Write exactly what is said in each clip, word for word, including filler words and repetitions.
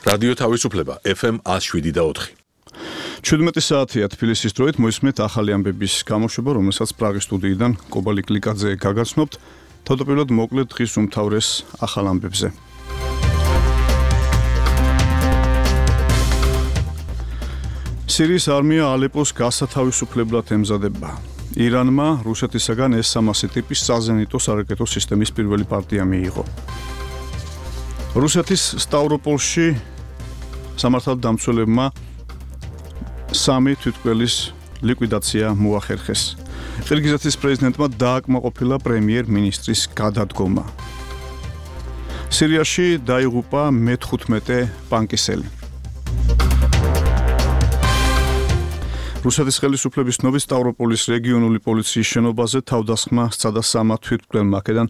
რადიო თავისუფლება ეფ ემ one oh seven და four. ჩვიდმეტი საათია თბილისის დროით მოისმენთ ახალი ამბების გამოშვება, რომელსაც პრაღის სტუდიიდან კობალი კლიკაძე გაგაცნობთ. თავდაპირველად მოკლედ დღის უმთავრეს ახალ ამბებზე. სირიის არმია ალეპოს გასათავისუფლებლად ემზადება. ირანმა რუსეთისაგან ეს სამასი ტიპის საზენიტო სარაკეტო სისტემის პირველი პარტია მიიღო. რუსეთის სტავროპოლში სამართალდამცველებმა სამი თვითმკვლელის ლიკვიდაცია მოახერხეს. ყირგიზეთის პრეზიდენტმა დააკმაყოფილა პრემიერ-მინისტრის გადადგომა. სირიაში დაიღუპა მეთხუთმეტე პანკისელი. რუსეთის ხელისუფლების ცნობით სტავროპოლის რეგიონული პოლიციის შენობაზე თავდასხმა სცადა სამა თვითმკვლელმა, აქედან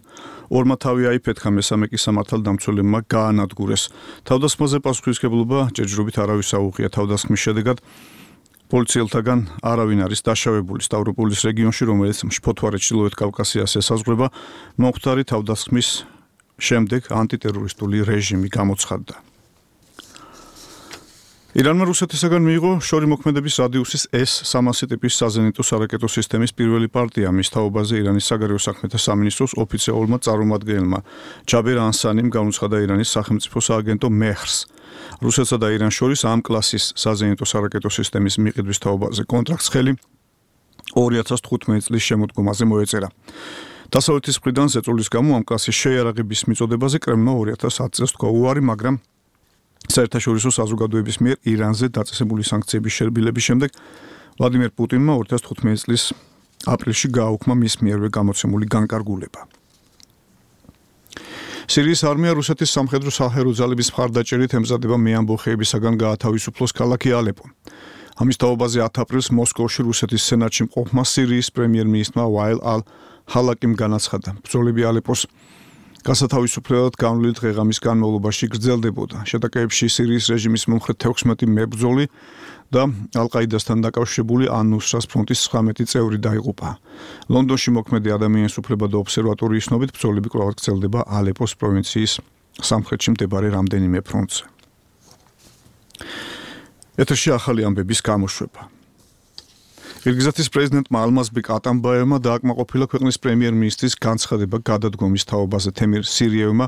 ორმა თავი აიფეთქა, მესამე კი სამართალდამცველებმა გაანადგურეს. თავდასხმაზე პასუხისმგებლობა ჯერჯერობით არავის აუღია. თავდასხმის შედეგად პოლიციელთაგან არავინ არის დაშავებული. სტავროპოლის რეგიონში, რომელიც მშფოთვარე ჩრდილოეთ კავკასიას ესაზღვრება, მომხდარი თავდასხმის შემდეგ ანტიტერორისტული რეჟიმი გამოცხადდა. ირანმა რუსეთისაგან მიიღო შორიმოქმედების რადიუსის ეს სამასი ტიპის საზენიტო სარაკეტო სისტემის პირველი პარტია. მის თაობაზე ირანის საგარეო საქმეთა სამინისტროს ოფიციალურმა წარმომადგენელმა ჯაბერ ანსანიმ გამოცხადა ირანის სახელმწიფო სააგენტო მეჰრს. რუსეთსა და ირანს შორის ამ კლასის საზენიტო სარაკეტო სისტემის მიყიდვის თაობაზე კონტრაქტს ხელი ორი ათას თხუთმეტი წლის შემოდგომაზე მოეწერა. დასავლეთის მხრიდან ზეწოლის გამო ამ კლასის შეიარაღების მიწოდებაზე კრემლმა ორი ათას ათი წელს თქვა უარი, მაგრამ საერთაშორისო საზოგადოების მიერ ირანზე დაწესებული სანქციების შერბილების შემდეგ ვლადიმერ პუტინმა ორი ათას თხუთმეტი წლის აპრილში გააუქმა მის მიერვე გამოცემული განკარგულება. სირიის არმია რუსეთის სამხედრო საჰერო ძალების მხარდაჭერით ემზადება მეამბოხეებისაგან გაათავისუფლოს ქალაქი ალეპო. ამის თაობაზე ათი აპრილს მოსკოვში რუსეთის სენატში მყოფმა სირიის პრემიერ-მინისტრმა ვაილ ალ-ჰალაკიმ განაცხადა, ბრძოლები ალეპოს გასათავისუფლებლად განვლილი დღეღამის განმავლობაში გრძელდებოდა. შეტაკებებში სირიის რეჟიმის მომხრე თექვსმეტი მებრძოლი და ალ-ყაიდასთან დაკავშირებული ან-ნუსრას ფრონტის ცხრამეტი წევრი დაიღუპა. ლონდონში მოქმედი ადამიანის უფლებათა ობსერვატორიის ცნობით, ბრძოლები კვლავ გრძელდება ალეპოს პროვინციის სამხრეთში მდებარე რამდენიმე ფრონტზე. ეთერში ახალი ამბების გამოშვება. ყირგიზეთის პრეზიდენტმა ალმაზბეკ ატამბაევმა დააკმაყოფილა ქვეყნის პრემიერ-მინისტრის განცხადება გადადგომის თაობაზე. თემირ სირიევმა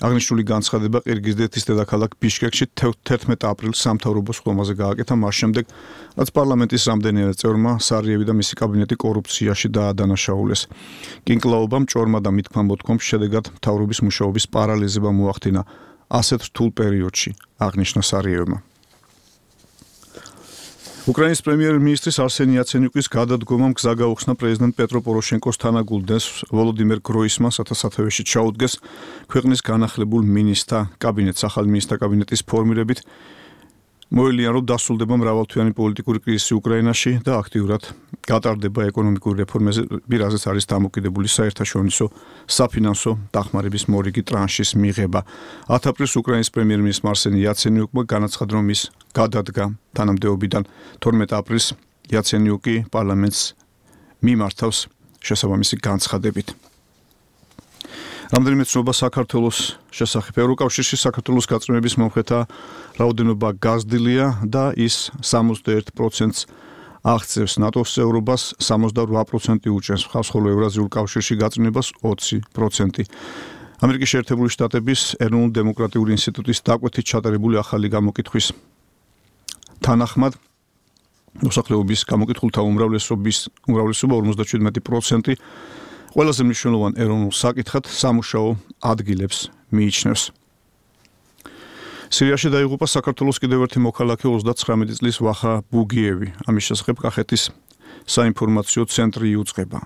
აღნიშნული განცხადება ყირგიზეთის დედაქალაქ ბიშკეკში თერთმეტი აპრილს სამთავრობო სხდომაზე გააკეთა, მას შემდეგ, რაც პარლამენტის რამდენიმე წევრმა სარიევი და მისი კაბინეტი კორუფციაში დაადანაშაულეს. კინკლაობამ ჭორმა და მითქმა მოთქვამის შედეგად მთავრობის მუშაობის პარალიზება მოახდინა ასეთ რთულ პერიოდში, აღნიშნა სარიევმა. უკრაინის პრემიერ-მინისტრის არსენი იაცენიუკის გადადგომამ გზა გაუხსნა პრეზიდენტ პეტრო პოროშენკოს თანაგულდენს ვოლოდიმერ გროისმანს, რათა სათავეში ჩაუდგეს ქვეყნის განახლებულ მინისტრთა კაბინეტს. ახალი მინისტრთა კაბინეტის ფორმირებით მოელიან, რომ დასრულდება მრავალთვიანი პოლიტიკური კრიზისი უკრაინაში და აქტიურად გატარდება ეკონომიკური რეფორმები, რაზეც არის დამოკიდებული საერთაშორისო საფინანსო დახმარების მორიგი ტრანშის მიღება. ათი აპრილს უკრაინის პრემიერ-მინისტრმა არსენი იაცენიუკმა განაცხადა, რომ ის გადადგა თანამდებობიდან. თორმეტი აპრილს იაცენიუკი პარლამენტს მიმართავს შესაბამისი განცხადებით. რამდენიმე ცნობა საქართველოს შესახებ. ევროკავშირში საქართველოს გაწმენდების მომხრეთა რაოდენობა გაზრდილია და ის სამოცდაერთ პროცენტს აღწევს. ნატოს წევრობას სამოცდაორი პროცენტი უჭერს, ხოლო ევრაზიულ კავშირში გაწმენდებას ოცი პროცენტი. ამერიკის შეერთებული შტატების ეროვნულ დემოკრატიული ინსტიტუტის დაკვეთით ჩატარებული ახალი გამოკითხვის თანახმად მოსახლეობის გამოკითხულთა უმრავლესობის უმრავლესობა ორმოცდაშვიდმეტი პროცენტი ყველაზე მნიშვნელოვან ეროვნულ საკითხად სამუშაო ადგილებს მიიჩნევს. სირიაში დაიღუპა საქართველოს კიდევ ერთი მოქალაქე ოცდაცხრამეტი წლის ვახა ბუგიევი. ამის შესახებ კახეთის საინფორმაციო ცენტრი იუწყება.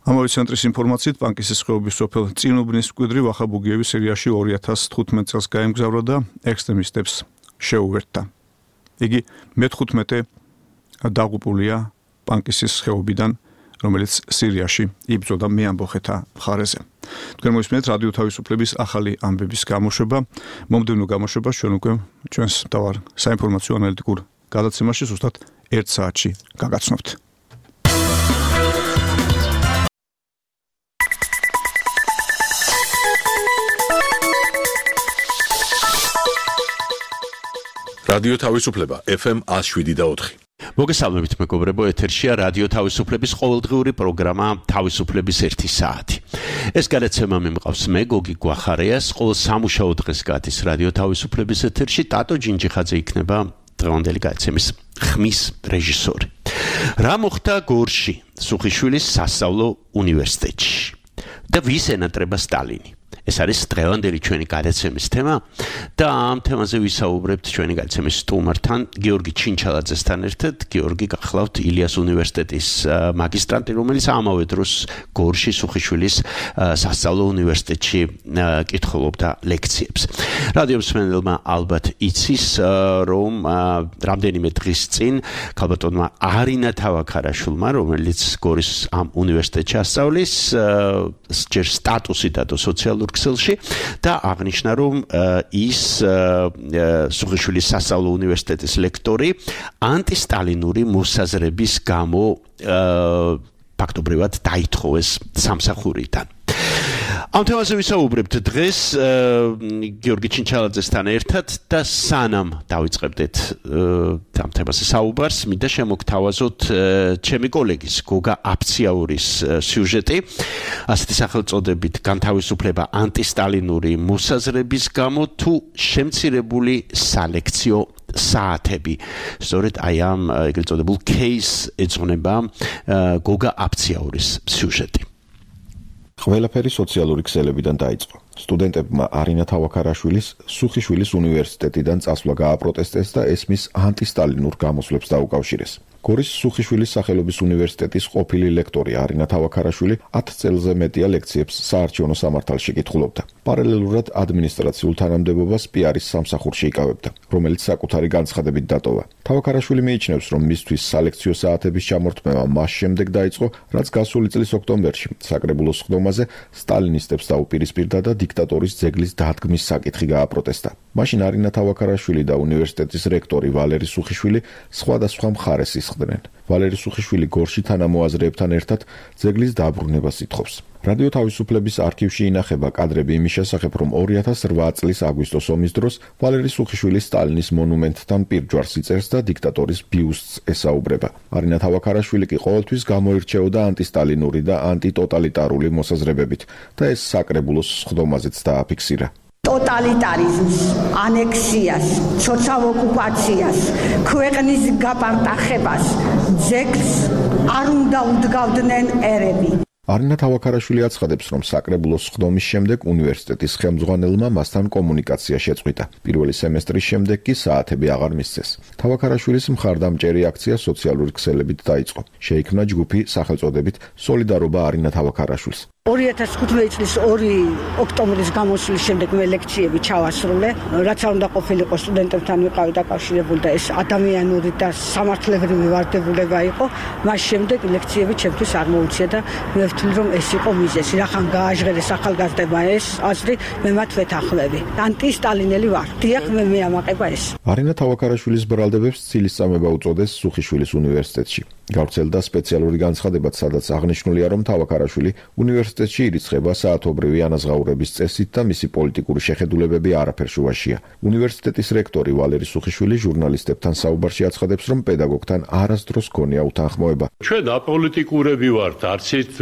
ამავე ცენტრის ინფორმაციით პანკისის ხეობის სოფელ წინუბნის მკვიდრი ვახა ბუგიევი სირიაში ორი ათას თხუთმეტი წელს გაემგზავრა და ექსტრემისტებს შეუერთდა. იგი მეთხუთმეტე დაღუპულია პანკისის ხეობიდან, რომელიც სირიაში იბრძოდა მეამბოხეთა მხარეზე. თქვენ მოისმენთ რადიო თავისუფლების ახალი ამბების გამოშვება. მომდევნო გამოშვებას ჩვენ უკვე ჩვენს მთავარ საინფორმაციო ანალიტიკურ გადაცემაში ზუსტად ერთ საათში გაგაცნობთ. რადიო თავისუფლება ეფ ემ one oh seven point four. მოგესალმებით მეგობრებო, ეთერშია რადიო თავისუფლების ყოველდღიური პროგრამა თავისუფლების ერთი საათი. ეს გადაცემა მიმყავს მე გოგი გვახარიას, ყოველ სამუშაო დღეს გადის რადიო თავისუფლების ეთერში ტატო ჯინჯიხაძე იქნება დღევანდელი გადაცემის ხმის რეჟისორი. რა მოხდა გორში, სუხიშვილის სასწავლო უნივერსიტეტში და ვის ენატრება სტალინი? ეს არის დღევანდელი ჩვენი გადაცემის თემა და ამ თემაზე ვისაუბრებთ ჩვენი გადაცემის სტუმართან გიორგი ჩინჩალაძესთან ერთად. გიორგი გახლავთ ილიას უნივერსიტეტის მაგისტრანტი, რომელიც ამავე დროს გორში სუხიშვილის სასწავლო უნივერსიტეტში კითხულობდა ლექციებს. რადიო მსმენელმა ალბათ იცის, რომ რამდენიმე დღის წინ ქალბატონმა არინა თავაქარაშვილმა, რომელიც გორის ამ უნივერსიტეტში ასწავლის, ჯერ სტატუსი დადო სოციალურ ქსელში და აღნიშნა, რომ ის სუხიშვილის სასწავლო უნივერსიტეტის ლექტორი ანტისტალინური მოსაზრების გამო ფაქტობრივად დაითხოვეს სამსახურიდან. ამ თემაზე ვისაუბრებთ დღეს გიორგი ჩინჩალაძესთან ერთად და სანამ დავიწყებდეთ ამ თემაზე საუბარს, მინდა შემოგთავაზოთ ჩემი კოლეგის გოგა აფციაურის სიუჟეტი, ასეთი სახელწოდებით განთავისუფლება ანტისტალინური მოსაზრების გამო თუ შემცირებული სალექციო საათები. სწორედ აი ამ ეგრეთ წოდებულ кейს ეძღვნება გოგა აფციაურის სიუჟეტი. ყველაფერი სოციალური ქსელებიდან დაიწყო. სტუდენტებმა არინა თავაქარაშვილის სუხიშვილის უნივერსიტეტიდან წასვლა გააპროტესტეს და ეს მის ანტისტალინურ გამოსვლებს დაუკავშირეს. გორის სუხიშვილის სახელობის უნივერსიტეტის ყოფილი ლექტორი არინა თავაქარაშვილი ათ წელზე მეტია ლექციებს საარჩევნო სამართალში კითხულობდა. პარალელურად ადმინისტრაციულ თანამდებობას პიარის სამსახურში იკავებდა, რომელიც საკუთარი განცხადებით დატოვა. თავაქარაშვილი მიიჩნევს, რომ მისთვის სალექციო საათების ჩამორთმევა მას შემდეგ დაიწყო, რაც გასული წლის ოქტომბერში საკრებულოს სხდომაზე სტალინისტებს დაუპირისპირდა და დიქტატორის ძეგლის დადგმის საკითხი გააპროტესტა. მაშინ არინა თავაქარაშვილი და უნივერსიტეტის რექტორი ვალერი სუხიშვილი სხვადასხვა მხარეს ისხდნენ. ვალერი სუხიშვილი გორში თანამოაზრეებთან ერთად ძეგლის დაბრუნებას ითხოვს. რადიო თავისუფლების არქივში ინახება კადრები იმის შესახებ, რომ ორი ათას რვა წლის აგვისტოს ომის დროს ვალერი სუხიშვილი სტალინის მონუმენტთან პირჯვარს იწერს და დიქტატორის ბიუსტს ესაუბრება. არინა თავაქარაშვილი კი ყოველთვის გამოირჩეოდა ანტისტალინური და ანტიტოტალიტარული მოსაზრებებით და ეს საკრებულოს სხდომაზეც დააფიქსირა. ტოტალიტარიზმს, ანექსიას, ცოცხალ ოკუპაციას, ქვეყნის გაპარტახებას, ძეგლს არ უნდა უდგავდნენ ერები. არინა თავაქარაშვილი აცხადებს, რომ საკრებულოს სხდომის შემდეგ უნივერსიტეტის ხელმძღვანელმა მასთან კომუნიკაცია შეწყვიტა. პირველი სემესტრის შემდეგ კი საათები აღარ მისცეს. თავაქარაშვილის მხარდამჭერი აქცია სოციალური ქსელებით დაიწყო. შეიქმნა ჯგუფი სახელწოდებით სოლიდარობა არინა თავაქარაშვილს. ორი ათას თხუთმეტი წლის ორი ოქტომბრის გამოსვლის შემდეგ მე ლექციები ჩავასრულე, რაც არ უნდა ყოფილიყო სტუდენტებთან ვიყავი დაკავშირებული და ეს ადამიანური და სამართლებრივი ვარდებულება იყო. მას შემდეგ ლექციები ჩემთვის არ მოუწია და მე ვთვლი, რომ ეს იყო მიზეზი. რახან გააჟღერეს ახალგაზრდებმა ეს აზრი, მე მათ ვეთანხმები. ანტისტალინელი ვარ. დიახ, მე მეამაყება ეს. არინა თავაქარაშვილის ბრალდებებს ცილისწამება უწოდეს სუხიშვილის უნივერსიტეტში. გავრცელდა სპეციალური განცხადებაც, სადაც აღნიშნულია, რომ თავაქარაშვილი უნივერსიტეტში ირიცხება საათობრივი ანაზღაურების წესით და მისი პოლიტიკური შეხედულებები არაფერ შუაშია. უნივერსიტეტის რექტორი ვალერი სუხიშვილი ჟურნალისტებთან საუბარში აცხადებს, რომ პედაგოგთან არასდროს ჰქონია უთანხმოება. ჩვენ აპოლიტიკურები ვართ, არც ერთ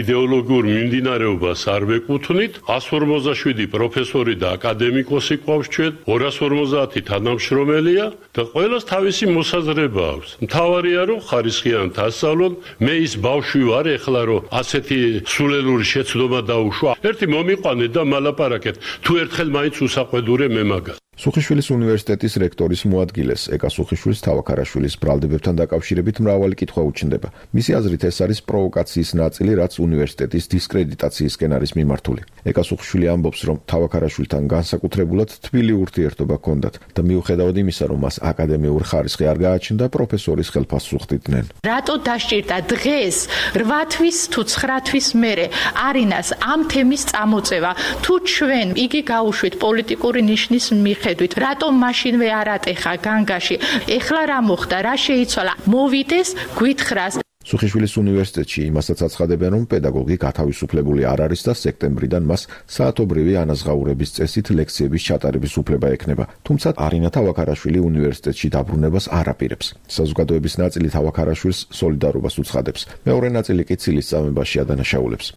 იდეოლოგიურ მიმდინარეობას არ ვეკუთვნით. one forty-seven პროფესორი და აკადემიკოსი ყავს ჩვენ, two forty თანამშრომელია და ყველას თავისი მოსაზრება აქვს. მთავარია, რომ ხარისხი ასწავლონ. მე ის ბავშვი ვარ ეხლა, რომ ასეთი სულელური შეცდომა დაუშვა. ერთი მომიყვანეთ და მალაპარაკეთ. თუ ერთხელ მაინც უსაყვედურე მე მაგას. სუხიშვილის უნივერსიტეტის რექტორის მოადგილეს ეკა სუხიშვილის თავაქარაშვილის ბრალდებებთან დაკავშირებით მრავალი კითხვა უჩნდება. მისი აზრით ეს არის პროვოკაციის ნაწილი, რაც უნივერსიტეტის დისკრედიტაციისკენ არის მიმართული. ეკა სუხიშვილი ამბობს, რომ თავაქარაშვილთან განსაკუთრებულად თბილი ურთიერთობა ჰქონდათ და მიუხედავად იმისა, რომ მას აკადემიურ ხარისხი არ გააჩნდა, პროფესორის ხელფასს უხდიდნენ. რატო დასჭირდა დღეს რვა თვის თუ ცხრა თვის მერე არინას ამ თემის წამოწევა? თუ ჩვენ იგი გაუშვით პოლიტიკური ნიშნის მიხედვით, რატომ მაშინვე არ ატეხა განგაში? ეხლა რა მოხდა? რა შეიცვალა? მოვიდეს, გვითხრას. სუხიშვილის უნივერსიტეტში იმასაც აცხადებენ, რომ პედაგოგი გათავისუფლებული არ არის და სექტემბრიდან მას საათობრივი ანაზღაურების წესით ლექციების ჩატარების უფლება ექნება. თუმცა არინა თავაქარაშვილი უნივერსიტეტში დაბრუნებას არ აპირებს. საზოგადოების ნაწილი თავაქარაშვილს სოლიდარობას უცხადებს. მეორე ნაწილი კი ცილის წამებაში ადანაშაულებს.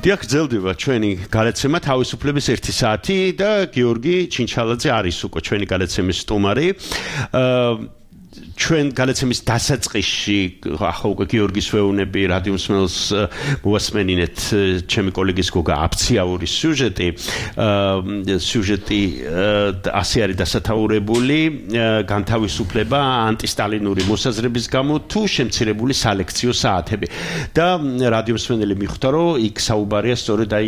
დიახ, გრძელდება ჩვენი გადაცემა თავისუფლების ერთი საათი და გიორგი ჩინჩალაძე არის უკვე ჩვენი გადაცემის სტუმარი. ჩვენ გადაცემის დასაწყისში ახლა უკვე გიორგის ვეუნები რადიო მსმენელს მოასმენინეთ ჩემი კოლეგის გოგა აფციაურის სიუჟეტი სიუჟეტი ასე არის დასათაურებული განთავისუფლება ანტისტალინური მოსაზრების გამო თუ შემცირებული სალექციო საათები და რადიო მსმენელი მიხვდა რომ იქ საუბარია სწორედ აი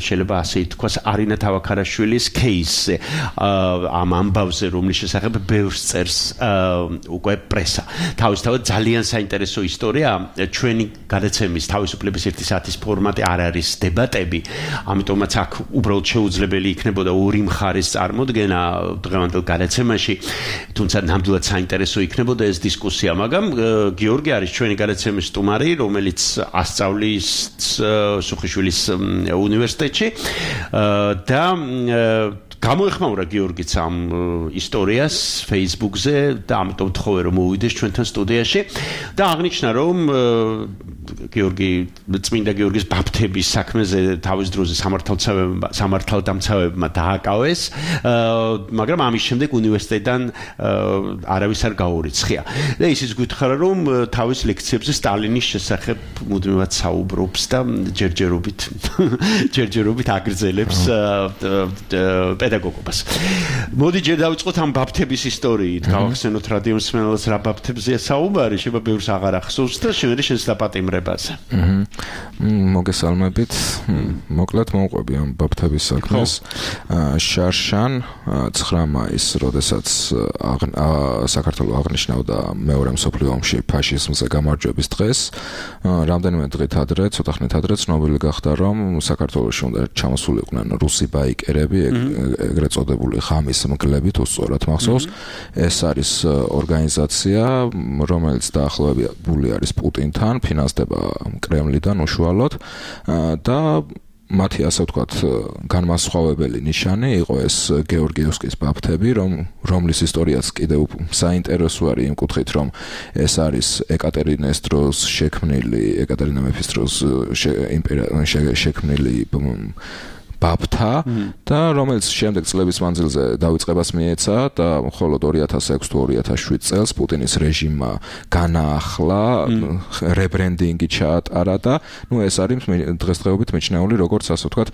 შეიძლება ასე ითქვას არინა თავაქარაშვილის кейსზე ამ ამბავზე რომლის შესახებ ბევრს წერს უკვე პრესა. თავისთავად ძალიან საინტერესო ისტორია. ჩვენი გადაცემის თავისუფლების ერთი საათის ფორმატი არ არის დებატები, ამიტომაც აქ უბრალოდ შეუძლებელი იქნებოდა ორი მხარის წარმოდგენა დღევანდელ გადაცემაში, თუმცა ნამდვილად საინტერესო იქნებოდა ეს დისკუსია, მაგრამ გიორგი არის ჩვენი გადაცემის სტუმარი, რომელიც ასწავლის სუხიშვილის უნივერსიტეტში და გამოეხმაურა გიორგიც ამ ისტორიას Facebook-ზე და ამიტომ თხოვე რომ მოვიდეს ჩვენთან სტუდიაში და აღნიშნა რომ გიორგი წმინდა გიორგის ბაფთების საქმეზე თავის დროზე სამართალდამცავებმა სამართალდამცავებმა დააკავეს მაგრამ ამის შემდეგ უნივერსიტეტიდან არავის არ გაურიცხია და ისიც გითხარა რომ თავის ლექციებზე სტალინის შესახებ მუდმივად საუბრობს და ჯერჯერობით ჯერჯერობით აგრძელებს პედაგოგობას. მოდი ჯერ დავიწყოთ ამ ბაფთების ისტორიით. გავახსენოთ რადიო მსმენელს რა ბაფთებზეა საუბარი, შეიძლება ბევრს აღარ ახსოვს და შევედი შენს დაპატიმრებაზე. მოგესალმებით. მოკლედ მოვყვები ამ ბაფთების საქმეს. შარშან ცხრა მაისს, როდესაც საქართველოს აღნიშნავდა მეორე მსოფლიო ომში ფაშიზმზე გამარჯვების დღეს, რამდენიმე დღით ადრე, ცოტა ხნით ადრე ცნობილი გახდა, რომ საქართველოში უნდა ჩამოსულიყვნენ რუსი ბაიკერები, ეგრეთ წოდებული ხამის მგლებით, უსწორად მახსოვს. ეს არის ორგანიზაცია, რომელიც დაახლოებული არის პუტინთან, ფინანსდება კრემლიდან უშუალოდ და მათი ასე ვთქვათ განმასხვავებელი ნიშანი იყო ეს გეორგიევსკის ბაფთები, რომ რომლის ისტორიაც კიდევ საინტერესო არის იმ კუთხით, რომ ეს არის ეკატერინეს დროს შექმნილი, ეკატერინა მეფის დროს შექმნილი ბაფთა და რომელიც შემდეგ წლების მანძილზე დავიწყებას მიეცა და მხოლოდ ორი ათას ექვსი თუ ორი ათას შვიდ წელს პუტინის რეჟიმმა განაახლა, რებრენდინგი ჩაატარა და ნუ ეს არის დღესდღეობით მიჩნეული როგორც ასე ვთქვათ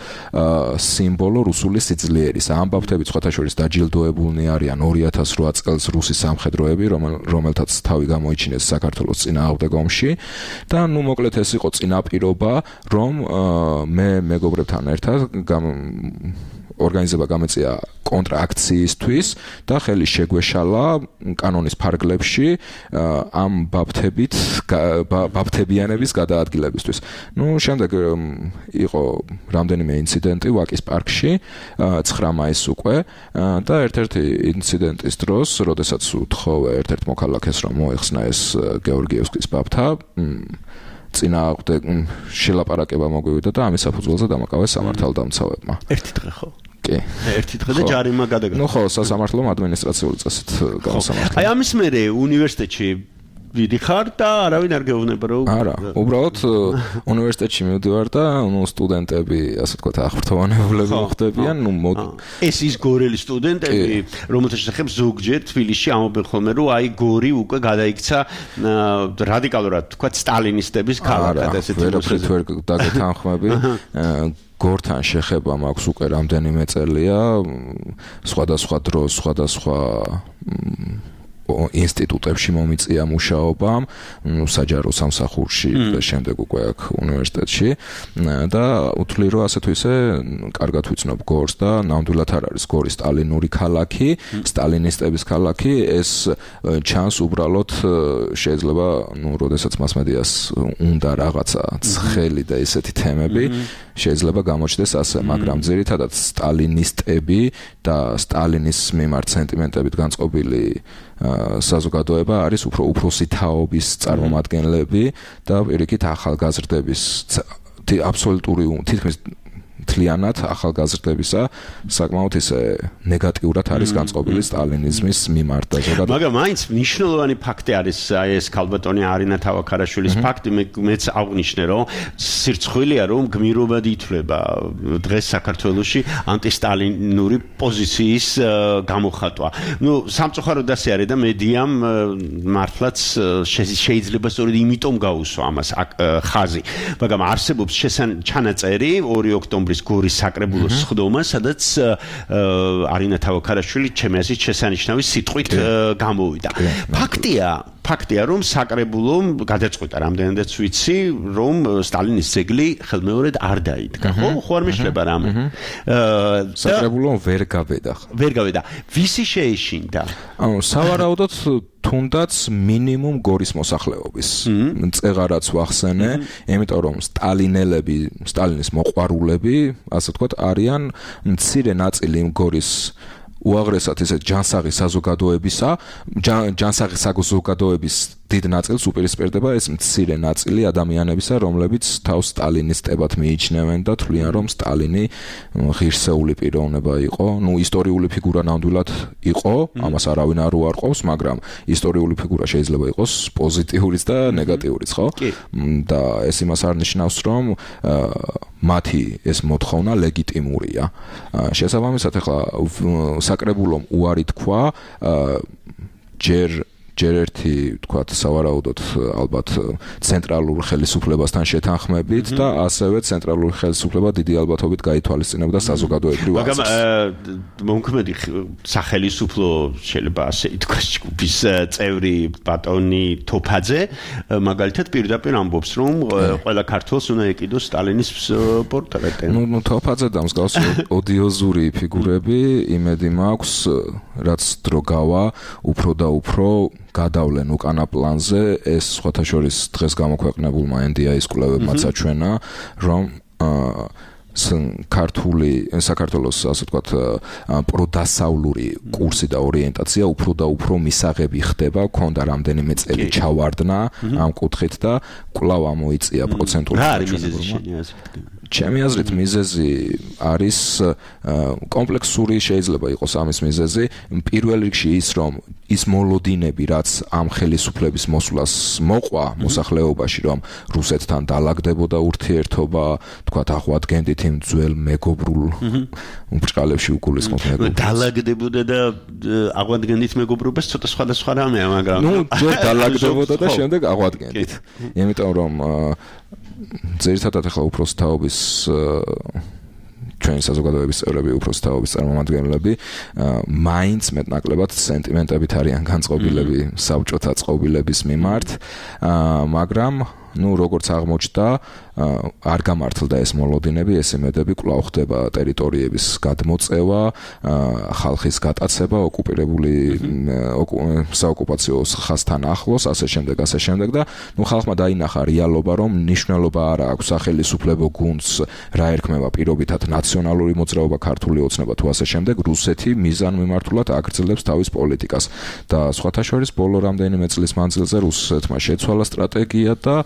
სიმბოლო რუსული სიძლიერის. ამ ბაფთებით სხვათა შორის დაჯილდოებულნი არიან ორი ათას რვა წელს რუსი სამხედროები, რომელთაც თავი გამოიჩინეს საქართველოს წინააღმდეგ ომში და ნუ მოკლედ ეს იყო წინაპირობა, რომ მე მეგობრებთან ერთად ორგანიზება გამეწია კონტრაქციისთვის და ხელი შეგვეშალა კანონის ფარგლებში ამ ბაფთებით ბაფთებიანების გადაადგილებისთვის. ნუ შემდეგ იყო რამდენიმე ინციდენტი ვაკის პარკში ცხრა მაისს უკვე და ერთ-ერთი ინციდენტის დროს, როდესაც უთხოვე ერთ-ერთ მოქალაქეს რომ მოეხსნა ეს გეორგიევსკის ბაფთა წინააღმდეგ შელაპარაკება მოგვივიდა და ამის საფუძველზე დამაკავეს სამართალდამცავებმა. ერთი დღე ხო? კი. ერთი დღე და ჯარიმა გადაგა. ნუ ხო, სასამართლომ ადმინისტრაციული წესით გამოსამართლა. აი ამის მერე უნივერსიტეტში ვიდიხარ და არავინ არ გეუბნება რომ არა, უბრალოდ უნივერსიტეტში მივდივარ და ნუ სტუდენტები, ასე ვთქვათ, აღფრთოვანებულები მოხდებიან, ნუ ეს ის გორელი სტუდენტები, რომელთა შესახებ ზოგჯერ თბილისში ამობენ ხოლმე, რომ აი გორი უკვე გადაიქცა რადიკალურად, ვთქვათ, სტალინისტების ქალაქად, ესეთი ვერაფრით ვერ დაგეთანხმები. გორთან შეხება მაქვს უკვე რამდენიმე წელია, სხვადასხვა დროს, სხვადასხვა ინსტიტუტებში მომიწია მუშაობამ, საჯარო სამსახურში და შემდეგ უკვე აქ უნივერსიტეტში და უთვლი რომ ასე თუ ისე კარგად ვიცნობ გორს და ნამდვილად არ არის გორი სტალინური ქალაქი, სტალინისტების ქალაქი, ეს ჩანს უბრალოდ შეიძლება, ნუ, როდესაც მასმედიას უნდა რაღაცა ცხელი და ესეთი თემები შეიძლება გამოჩნდეს ასე, მაგრამ ძირითადად სტალინისტები და სტალინის მიმართ სენტიმენტებით განწყობილი საზოგადოება არის უფრო უფროსი თაობის წარმომადგენლები და პირიქით ახალგაზრდების აბსოლუტური თითქმის მთლიანად ახალგაზრდებისა საკმაოდ ისე ნეგატიურად არის განწყობილი სტალინიზმის მიმართ და ზოგადად მაგრამ მაინც მნიშვნელოვანი ფაქტი არის აი ეს ქალბატონი არინა თავაქარაშვილის ფაქტი მეც აღნიშნე რომ სირცხვილია რომ გმირობად ითვლება დღეს საქართველოში ანტისტალინური პოზიციის გამოხატვა. ნუ სამწუხაროდ ასე არის და მედიამ მართლაც შეიძლება სწორედ იმიტომ გაუსვა ამას ხაზი. მაგრამ არსებობს ჩანაწერი ორი ოქტომბრის გორის საკრებულოს სხდომა, სადაც არინა თავაქარაშვილი ჩემი აზრით შესანიშნავი სიტყვით გამოვიდა. ფაქტია ფაქტია რომ საკრებულომ გადაწყვიტა რამდენადაც ვიცი რომ სტალინის ძეგლი ხელმეორედ არ დაიდგა. ხო ხო არ მეშლება რამე. საკრებულომ ვერ გავედა. ვერ გავედა. ვისი შეეშინდა? ანუ სავარაუდოდ თუნდაც მინიმუმ გორის მოსახლეობის წეღარაც ვახსენე, იმიტომ რომ სტალინელები, სტალინის მოყვარულები, ასე ვთქვათ, არიან მცირე ნაწილი გორის უაღრესად ესე ჯანსაღი საზოგადოებისა, ჯანსაღი საზოგადოების დიდ ნაწილს უპირისპირდება ეს მცირე ნაწილი ადამიანებისა, რომლებიც თავს სტალინისტებად მიიჩნევენ და თვლიან, რომ სტალინი ღირსეული პიროვნება იყო, ну ისტორიული ფიგურა ნამდვილად იყო, ამას არავინ არ უარყოფს, მაგრამ ისტორიული ფიგურა შეიძლება იყოს პოზიტიურიც და ნეგატიურიც, ხო? და ეს იმას არნიშნავს, რომ მათი ეს მოთხოვნა ლეგიტიმურია. შესაბამისად, ახლა საკრებულომ უარი თქვა ჯერ ჯერ ერთი თქვათ სავარაუდოდ ალბათ ცენტრალურ ხელისუფლებასთან შეთანხმებით და ასევე ცენტრალური ხელისუფლება დიდი ალბათობით გაითვალისწინებდა საზოგადოებრივ აზრს. მაგრამ მომქმედი სახელისუფლო შეიძლება ასე ითქვას ჯგუფის წევრი ბატონი თოფაძე მაგალითად პირდაპირ ამბობს რომ ყველა ქართველს უნდა ეკიდოს სტალინის პორტრეტი. ნუ ნუ თოფაძე და მსგავსი ოდიოზური ფიგურები იმედი მაქვს რაც დრო გავა უფრო და უფრო გადავლენ უკანა პლანზე ეს სხვათა შორის დღეს გამოქვეყნებულმა ენ დი აის კვლევებმა საჩვენა რომ ქართული საქართველოს ასე ვთქვათ პროდასავლური კურსი და ორიენტაცია უფრო და უფრო მისაღები ხდება, ქონდა რამდენიმე წელი ჩავარდნა ამ კუთხით და კვლავ ამოიწია პროცენტული გაჩვენა. ჩემი აზრით მიზეზი არის კომპლექსური შეიძლება იყოს ამის მიზეზი პირველ რიგში ის რომ ის მოლოდინები რაც ამ ხელისუფლების მოსვლას მოყვა მოსახლეობაში რომ რუსეთთან დაალაგდებოდა ურთიერთობა თქვათ აღვადგენდით იმ ძველ მეგობრულ ბრჭყალებში უგულისხმობ მეგობრებს დაალაგდებოდა და აღვადგენდით მეგობრობას ცოტა სხვადასხვა რამეა მაგრამ ნუ ჯერ დაალაგდებოდა და შემდეგ აღვადგენდით იმიტომ რომ ძირითადად ახლა უფროს თაობის ჩვენი საზოგადოების წევრები უფროს თაობის წარმომადგენლები მაინც მეტნაკლებად სენტიმენტებით არიან განწყობილები საბჭოთა წყობილების მიმართ მაგრამ ну როგორც აღმოჩნდა არ გამართლდა ეს მოლოდინები ეს იმედები კვლავ ხდება ტერიტორიების გადმოწევა ხალხის გატაცება ოკუპირებული საოკუპაციო ხაზთან ახლოს ასე შემდეგ ასე შემდეგ და ну ხალხმა დაინახა რეალობა რომ ნიშნულობა არ აქვს სახელისუფლებო გუნდს რა ერქმევა პირობითად ნაციონალური მოძრაობა ქართული ოცნება თუ ასე შემდეგ რუსეთი მიზანმიმართულად აგრძელებს თავის პოლიტიკას და სხვათა შორის ბოლო რამდენიმე წლის მანძილზე რუსეთმა შეცვალა სტრატეგია და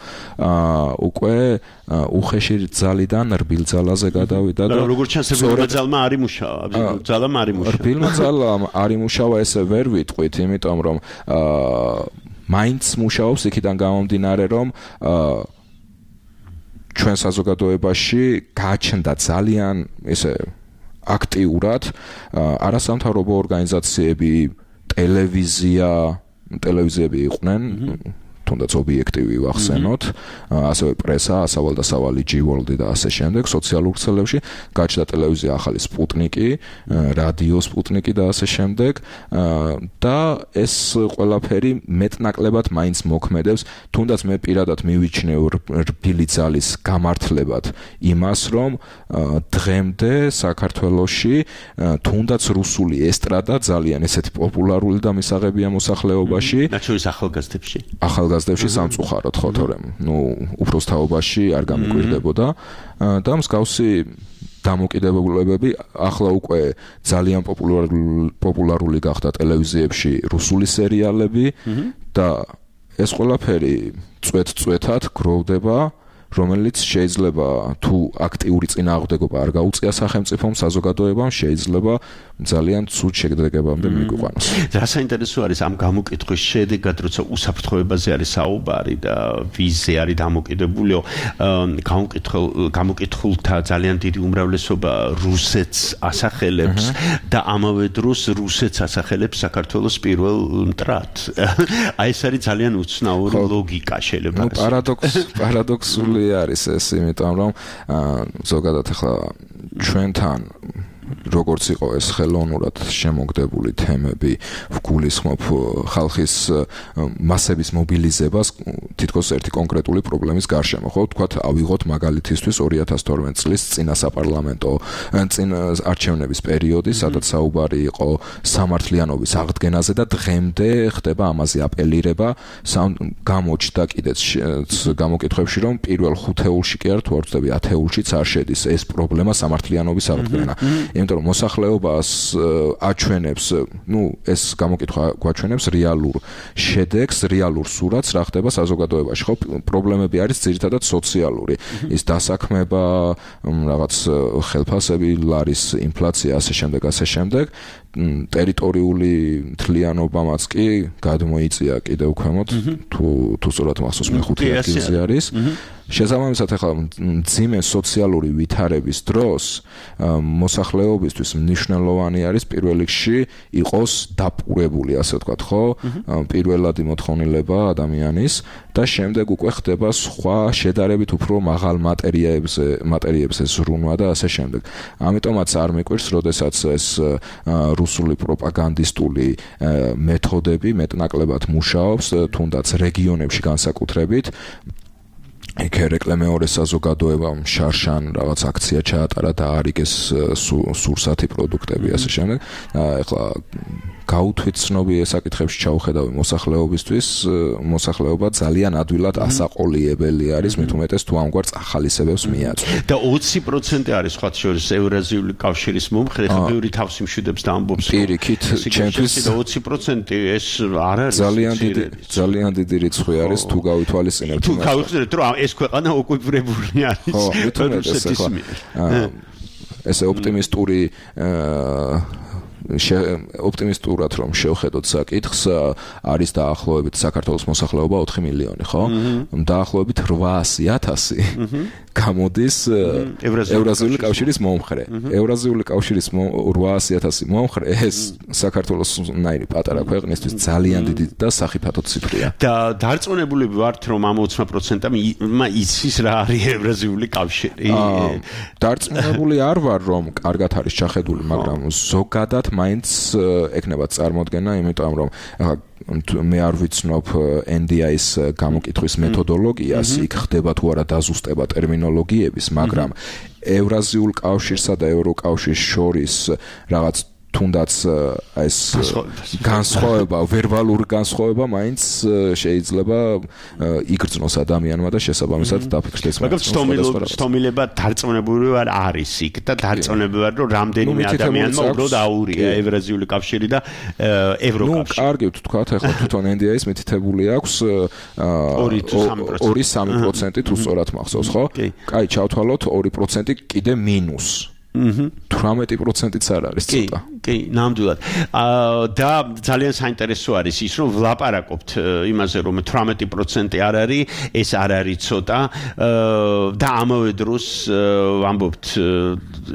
უკვე უხეში ძალიდან რბილ ძალაზე გადავიდა და როგორც ჩანს რბილმა ძალმა არ იმუშავა ძალამ არ იმუშავა რბილმა ძალამ არ იმუშავა ესე ვერ ვიტყვით იმიტომ რომ მაინც მუშაობს იქიდან გამომდინარე რომ ჩვენ საზოგადოებაში გააჩნდა ძალიან ესე აქტიურად არასამთავრობო ორგანიზაციები ტელევიზია ტელევიზიები იყვნენ თუნდაც ობიექტივი ვახსენოთ, ასევე პრესა, სავალდასავალი ჯი-ვორლდი და ასე შემდეგ, სოციალურ ქსელებში გაჩნდა ტელევიზია ახალი სპუტნიკი, რადიო სპუტნიკი და ასე შემდეგ და ეს ყველაფერი მეტნაკლებად მაინც მოქმედებს, თუნდაც მე პირადად მივიჩნევ რბილი ძალის გამართლებად იმას, რომ დღემდე საქართველოში თუნდაც რუსული ესტრადა ძალიან ესეთი პოპულარული და მისაღებია მოსახლეობაში, რაც შორის ახალგაზრდებში. ახალგაზრდებში სამწუხაროდ ხო თორემ ნუ უფროს თაობაში არ გამიკვირდებოდა და მსგავსი დამოკიდებულებები ახლა უკვე ძალიან პოპულარული გახდა ტელევიზიებში რუსული სერიალები და ეს ყველაფერი წვეთ-წვეთად გროვდება რომელიც შეიძლება თუ აქტიური წინააღმდეგობა არ გაუწია სახელმწიფომ, საზოგადოებამ, შეიძლება ძალიან ცუდ შეგდეგებამდე მიგვიყვანოს. რა საინტერესო არის ამ გამოკითხვის შედეგად, როცა უსაფრთხოებაზე არის საუბარი და ვიზზე არის დამოკიდებულიო, გამოკითხულ გამოკითხულთა ძალიან დიდი უმრავლესობა რუსეთს ასახელებს და ამავე დროს რუსეთს ასახელებს საქართველოს პირველ მტრად. აი ეს არის ძალიან უცნაური ლოგიკა შეიძლება. ნუ პარადოქს პარადოქსული არის ეს, იმიტომ რომ ზოგადად ახლა ჩვენთან როგორც იყო ეს ხელოვნურად შემოგდებული თემები, ვგულისხმობ ხალხის მასების მობილიზებას თითქოს ერთი კონკრეტული პრობლემის გარშემო, ხო? Თქვათ, ავიღოთ მაგალითისთვის ორი ათას თორმეტი წლის წინა საპარლამენტო წინ არჩევნების პერიოდი, სადაც საუბარი იყო სამართლიანობის აღდგენაზე და დღემდე ხდება ამაზე აპელირება, გამოჩნდა კიდეც გამოკითხვებში, რომ პირველ ხუთეულში კი არ თუ არ ვწდები ათეულშიც არ შედის ეს პრობლემა სამართლიანობის აღდგენა. იმიტომ რომ მოსახლეობას აჩვენებს, ნუ ეს გამოკითხვა გვაჩვენებს რეალურ შედეგს, რეალურ სურათს, რა ხდება საზოგადოებაში, ხო? პრობლემები არის ძირითადად სოციალური. ის დასაქმება, რაღაც ხელფასები, ლარის ინფლაცია, ასე შემდეგ, ასე შემდეგ. ტერიტორიული მთლიანობამაც კი გადმოიწია კიდევ ქვემოთ, თუ თუ სწორად მახსოვს მეხუთე ადგილზე არის. შესაბამისად, ახლა მძიმე სოციალური ვითარების დროს მოსახლეობისთვის მნიშვნელოვანი არის პირველ რიგში იყოს დაპურებული, ასე ვთქვათ, ხო? პირველადი მოთხოვნილება ადამიანის და შემდეგ უკვე ხდება სხვა შედარებით უფრო მაღალ მატერიებზე, მატერიებზე ზრუნვა და ასე შემდეგ. ამიტომაც არ მეკვირს, როდესაც ეს რუსული პროპაგანდისტული მეთოდები მეტნაკლებად მუშაობს, თუნდაც რეგიონებში განსაკუთრებით. იქ ერეკლე მეორე საზოგადოებამ შარშან რაღაც აქცია ჩაატარა და არიგეს სურსათი პროდუქტები ასე შემდეგ. ეხლა გაუთვით ცნობი საკითხებში ჩაუხედავი მოსახლეობისთვის, მოსახლეობა ძალიან ადვილად ასაყოლიებელი არის, მით უმეტეს თუ ამგვარ ახალისებებს მიაწვდით. და ოცი პროცენტი არის სხვა შორის ევრაზიული კავშირის მომხრე, ხა ბევრი თავს იმშვიდებს და ამბობს, რომ პირიქით ჩემთვის ოცი პროცენტი ეს არ არის ძალიან დიდი ძალიან დიდი რიცხვი არის თუ გავითვალისწინებთ. თუ გავიხსენებთ, რომ ეს ქვეყანა ოკუპირებული არის. ხო, მით უმეტეს ახლა ესე ოპტიმისტური ოპტიმისტურად რომ შევხედოთ საკითხს, არის დაახლოებით საქართველოს მოსახლეობა ოთხი მილიონი, ხო? დაახლოებით რვაასი ათასი გამოდის ევრაზიული კავშირის მომხრე. ევრაზიული კავშირის რვაასი ათასი მომხრე ეს საქართველოს ნაირი პატარა ქვეყნისთვის ძალიან დიდი და სახიფათო ციფრია. და დარწმუნებული ვართ, რომ ამ ოცი პროცენტამ იცის რა არის ევრაზიული კავშირი. დარწმუნებული არ ვარ, რომ კარგად არის ჩახედული, მაგრამ ზოგადად მაინც ეკნებათ წარმოდგენა, იმიტომ რომ მე არ ვიცნობ ენ დი აის გამოკითხვის მეთოდოლოგიას, იქ ხდება თუ არა დაზუსტება ტერმინოლოგიების, მაგრამ ევრაზიულ კავშირსა და ევროკავშირს შორის რაღაც თუნდაც ეს განსხვავება, ვერბალური განსხვავება მაინც შეიძლება იგრძნოს ადამიანმა და შესაბამისად დაფიქრდეს. მაგრამ სტომილება დარწმუნებული ვარ არის იქ და დარწმუნებული ვარ, რომ რამდენიმე ადამიანმა უბრალოდ აურია ევრაზიული კავშირი და ევროკავშირი. ნუ კარგი ვთქვათ, ახლა თვითონ ენ დი აის მითითებული აქვს ორი სამი პროცენტი თუ სწორად მახსოვს, ხო? კაი, ჩავთვალოთ ორი პროცენტი კიდე მინუს. თვრამეტი პროცენტიც არ არის ცოტა. კი, ნამდვილად. და ძალიან საინტერესო არის ის, რომ ვლაპარაკობთ იმაზე, რომ თვრამეტი პროცენტი არ არის, ეს არ არის ცოტა და ამავე დროს ვამბობთ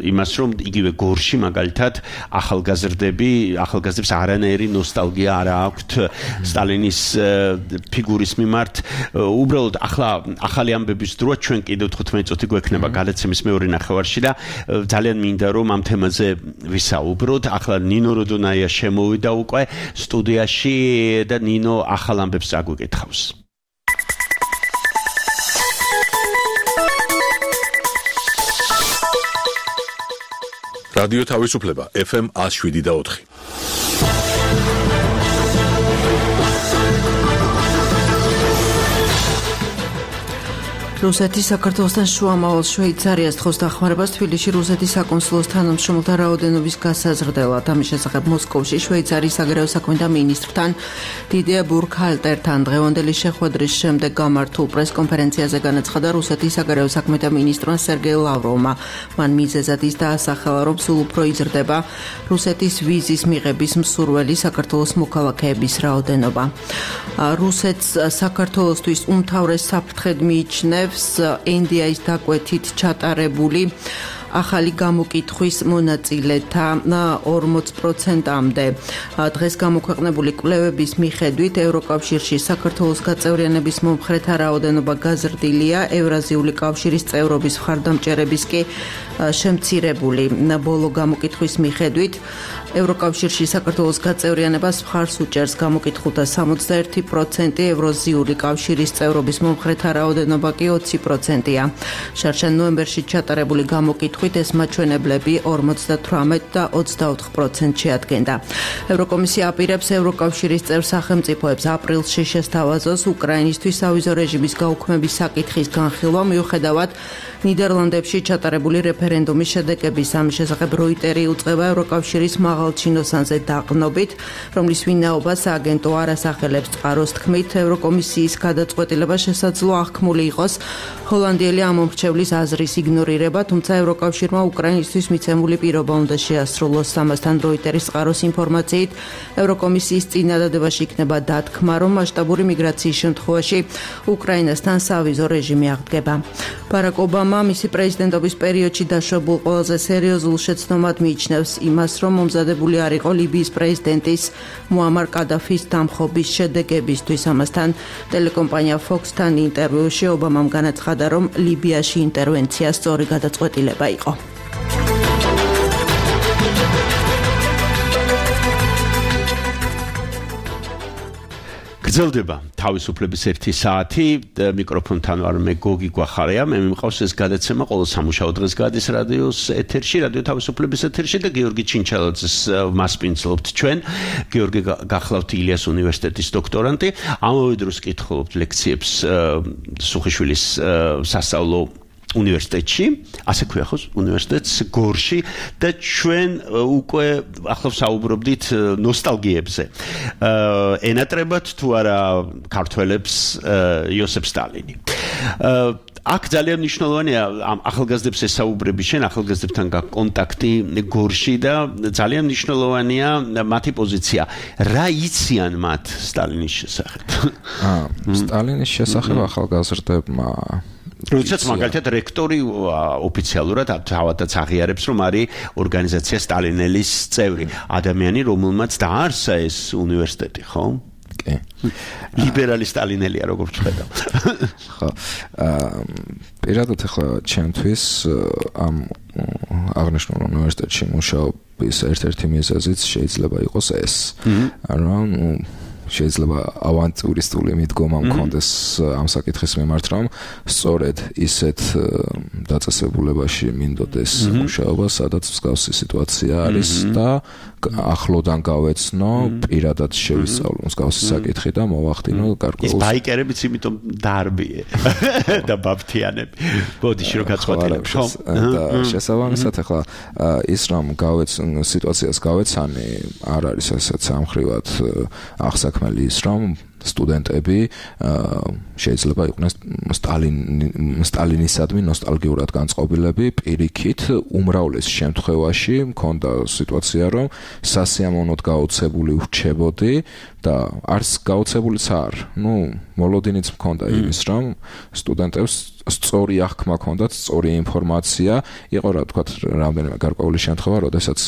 იმას, რომ იგივე გორში მაგალითად ახალგაზრდები, ახალგაზრდებს არანაირი ნოსტალგია არ აქვთ სტალინის ფიგურის მიმართ. უბრალოდ ახლა ახალი ამბების დროა ჩვენ კიდევ თხუთმეტი წუთი გვექნება გადაცემის მეორე ნახევარში და ძალიან მინდა რომ ამ თემაზე ვისაუბროთ. ახლა ნინო როდონაია შემოვიდა უკვე სტუდიაში და ნინო ახალ ამბებს წაგვიკითხავს. რადიო თავისუფლება ეფ ემ ათს შვიდი და ოთხი. რუსეთის საქართველოსთან შუამავალ შვეიცარიას თხოს დახმარებას თბილისში რუსეთის საკონსულოს თანამშრომელთა რაოდენობის გასაზრდელად. ამის შესახებ მოსკოვში შვეიცარიის საგარეო საქმეთა მინისტრთან დიდია ბურქჰალტერთან დღევანდელი შეხვედრის შემდეგ გამართულ პრესკონფერენციაზე განაცხადა რუსეთის საგარეო საქმეთა მინისტრმა სერგეი ლავროვმა. მან მიზეზად ის დაასახელა, რომ სულ უფრო იზრდება რუსეთის ვიზის მიღების მსურველი საქართველოს მოქალაქეების რაოდენობა. რუსეთს საქართველოსთვის უმთავრეს საფრთხედ მიიჩნევს ენდიაის დაკვეთით ჩატარებული ახალი გამოკითხვის მონაწილეთა ორმოც პროცენტამდე. დღეს გამოქვეყნებული კვლევების მიხედვით ევროკავშირში საქართველოს გაწევრიანების მომხრეთა რაოდენობა გაზრდილია, ევრაზიული კავშირის წევრობის მხარდამჭერების კი შემცირებული. ბოლო გამოკითხვის მიხედვით ევროკავშირში საქართველოს გაწევრიანებას მხარს უჭერს გამოკითხულთა სამოცდაერთი პროცენტი, ევრაზიული კავშირის წევრობის მომხრეთა რაოდენობა კი ოცი პროცენტია. შარშან ნოემბერში ჩატარებული გამოკითხვით ეს მაჩვენებლები ორმოცდათვრამეტ და ოცდაოთხ პროცენტს შეადგენდა. ევროკომისია აპირებს ევროკავშირის წევრ სახელმწიფოებს აპრილში შესთავაზოს უკრაინისთვის სავიზო რეჟიმის გაუქმების საკითხის განხილვა მიუხედავად ნიდერლანდებში ჩატარებული რეფერენდუმის შედეგების. ამის შესახებ როიტერი უწყება ევროკავშირის მაღალჩინოსანზე დაყრდნობით, რომლის ვინაობას სააგენტო არ ასახელებს წყაროს თქმით, ევროკომისიის გადაწყვეტილება შესაძლოა აღქმული იყოს ჰოლანდიელი ამომრჩევლის აზრის იგნორირება, თუმცა ევროკავშირმა უკრაინისთვის მიცემული პირობა უნდა შეასრულოს. ამასთან როიტერის წყაროს ინფორმაციით, ევროკომისიის წინადადებაში იქნება დათქმა, რომ მასშტაბური მიგრაციის შემთხვევაში უკრაინასთან სავიზო რეჟიმი აღდგება. ბარაკ ობამა მისი პრეზიდენტობის პერიოდში დაშვებულ ყველაზე სერიოზულ შეცდომად მიიჩნევს იმას, რომ მომზადებული არ იყო ლიბიის პრეზიდენტის მუამარ კადაფის დამხობის შედეგებისთვის. ამასთან ტელეკომპანია Fox-თან ინტერვიუში ობამამ განაცხადა, რომ ლიბიაში ინტერვენცია სწორი გადაწყვეტილება იყო. გრძელდება თავისუფლების ერთი საათი, მიკროფონთან ვარ მე გოგი გვახარია, მე მიმყავს ეს გადაცემა ყოველ სამუშაო დღეს გადის რადიოს ეთერში, რადიო თავისუფლების ეთერში და გიორგი ჩინჩალაძეს მასპინძლობთ ჩვენ. გიორგი გახლავთ ილიას უნივერსიტეტის დოქტორანტი, ამავე დროს კითხულობთ ლექციებს სუხიშვილის სასწავლო უნივერსიტეტში, ასე ქვია ხო, უნივერსიტეტს გორში და ჩვენ უკვე ახლა ვსაუბრობდით ნოსტალგიებზე. ენატრებათ თუ არა ქართველებს იოსებ სტალინი. აქ ძალიან მნიშვნელოვანია ამ ახალგაზრდებს ესაუბრები, შენ ახალგაზრდებთან გაკონტაქტი გორში და ძალიან მნიშვნელოვანია მათი პოზიცია. რა იციან მათ სტალინის შესახებ? აა სტალინის შესახებ ახალგაზრდებმა როდესაც მაგალითად რექტორი ოფიციალურად თავადაც აღიარებს, რომ არის ორგანიზაცია სტალინელის წევრი, ადამიანი, რომელმაც დაარსა ეს უნივერსიტეტი, ხო? კი. ლიბერალი სტალინელია, როგორც ხედავ. ხო. აა პირადად ახლა ჩემთვის ამ აღნიშნულ უნივერსიტეტში მუშაობის ერთ-ერთი მიზეზიც შეიძლება იყოს ეს. რომ შეიძლება ავანტურისტული მიდგომა მქონდეს ამ საკითხის მიმართ, რომ სწორედ ისეთ დაწესებულებაში მინდოდეს მუშაობა, სადაც მსგავსი სიტუაცია არის და ახლოდან გავეცნო, პირადად შევისწავლო მსგავსი საკითხი და მოვახდინო გარკვეულ. ის ბაიკერებიც იმიტომ დაარბიე და ბაფთიანები. ბოდიში რო გაწყვეტილებ, ხო? და შესაბამისად ახლა ის რომ გავეცნო სიტუაციას გავეცანი, არ არის ასეც ამხრივად ახსაკ ის რომ სტუდენტები შეიძლება იყვნენ სტალინისადმი ნოსტალგიურად განწყობილები, პირიქით უმრავლეს შემთხვევაში მქონდა სიტუაცია, რომ სასიამოვნოდ გაოცებული ვრჩებოდი და არც გაოცებულიც არ. ნუ მოლოდინიც მქონდა იმის, რომ სტუდენტებს სწორი აღქმა ჰქონდათ, სწორი ინფორმაცია, იყო რა თქვა რამდენიმე გარკვეული შემთხვევა, როდესაც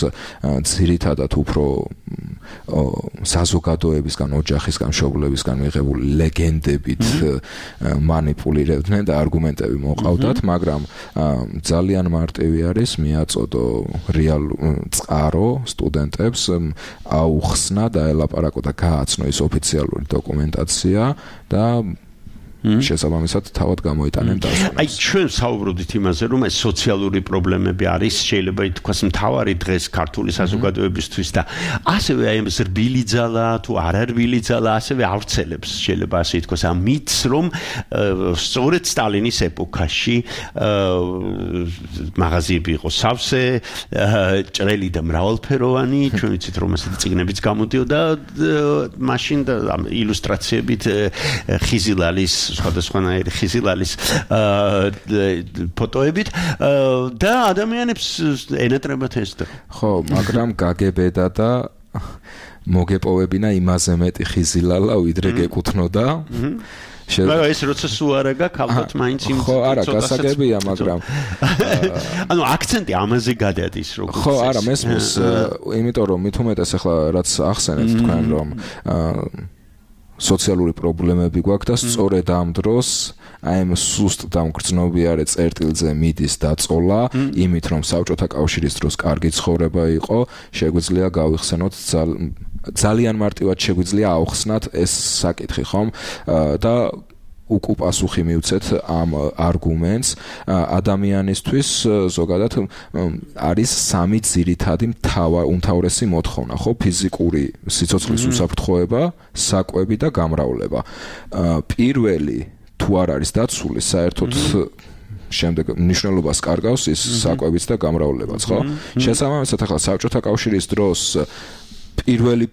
ძირითადად უფრო საზოგადოებისგან, ოჯახისგან, მშობლებისგან მიღებული ლეგენდებით მანიპულირებდნენ და არგუმენტები მოყავდათ, მაგრამ ძალიან მარტივი არის მიაწოდო რეალურ წყარო სტუდენტებს, აუხსნა და ელაპარაკო და გააცნო ის ოფიციალური დოკუმენტაცია და შესაბამისად თავად გამოიტანენ დასკვნას. აი ჩვენ საუბრობთ იმაზე, რომ ეს სოციალური პრობლემები არის, შეიძლება ითქვას მთავარი დღეს ქართული საზოგადოებისთვის და ასევე აი ეს რბილი ძალა თუ არა რბილი ძალა ასევე ავრცელებს შეიძლება ასე ითქვას ამ მითს, რომ სწორედ სტალინის ეპოქაში მაღაზიები იყო სავსე, ჭრელი და მრავალფეროვანი, ჩვენ ვიცით რომ ასეთი წიგნებიც გამოდიოდა მაშინ და ილუსტრაციებით ხიზილალის სხვადასხვანაირი ხიზილალის ფოტოებით და ადამიანებს ენატრებათ ეს და ხო, მაგრამ გაგებედა და მოგეპოვებინა იმაზე მეტი ხიზილალა ვიდრე გეკუთვნოდა. მაგრამ ეს როცა სუარა გაქვს ალბათ მაინც იმ ხო, არა, გასაგებია, მაგრამ ანუ აქცენტი ამაზე გადადის როგორც ხო, არა, მესმის, იმიტომ რომ მით უმეტეს ახლა რაც ახსენეთ თქვენ რომ სოციალური პრობლემები გვაქვს და სწორედ ამ დროს აი ამ სუსტ დამგრძნობიარე წერტილზე მიდის დაწოლა, იმით რომ საბჭოთა კავშირის დროს კარგი ცხოვრება იყო, შეგვიძლია გავიხსენოთ ძალიან მარტივად შეგვიძლია აუხსნათ ეს საკითხი, ხომ? და უკუ პასუხი მივცეთ ამ არგუმენტს ადამიანისთვის ზოგადად არის სამი ძირითადი უმთავრესი მოთხოვნა, ხო, ფიზიკური სიცოცხლის უსაფრთხოება, საკვები და გამრავლება. პირველი თუ არ არის დაცული, საერთოდ შემდეგ მნიშვნელობას კარგავს ის საკვებიც და გამრავლებაც, ხო? შესაბამისად ახლა საბჭოთა კავშირის დროს პირველი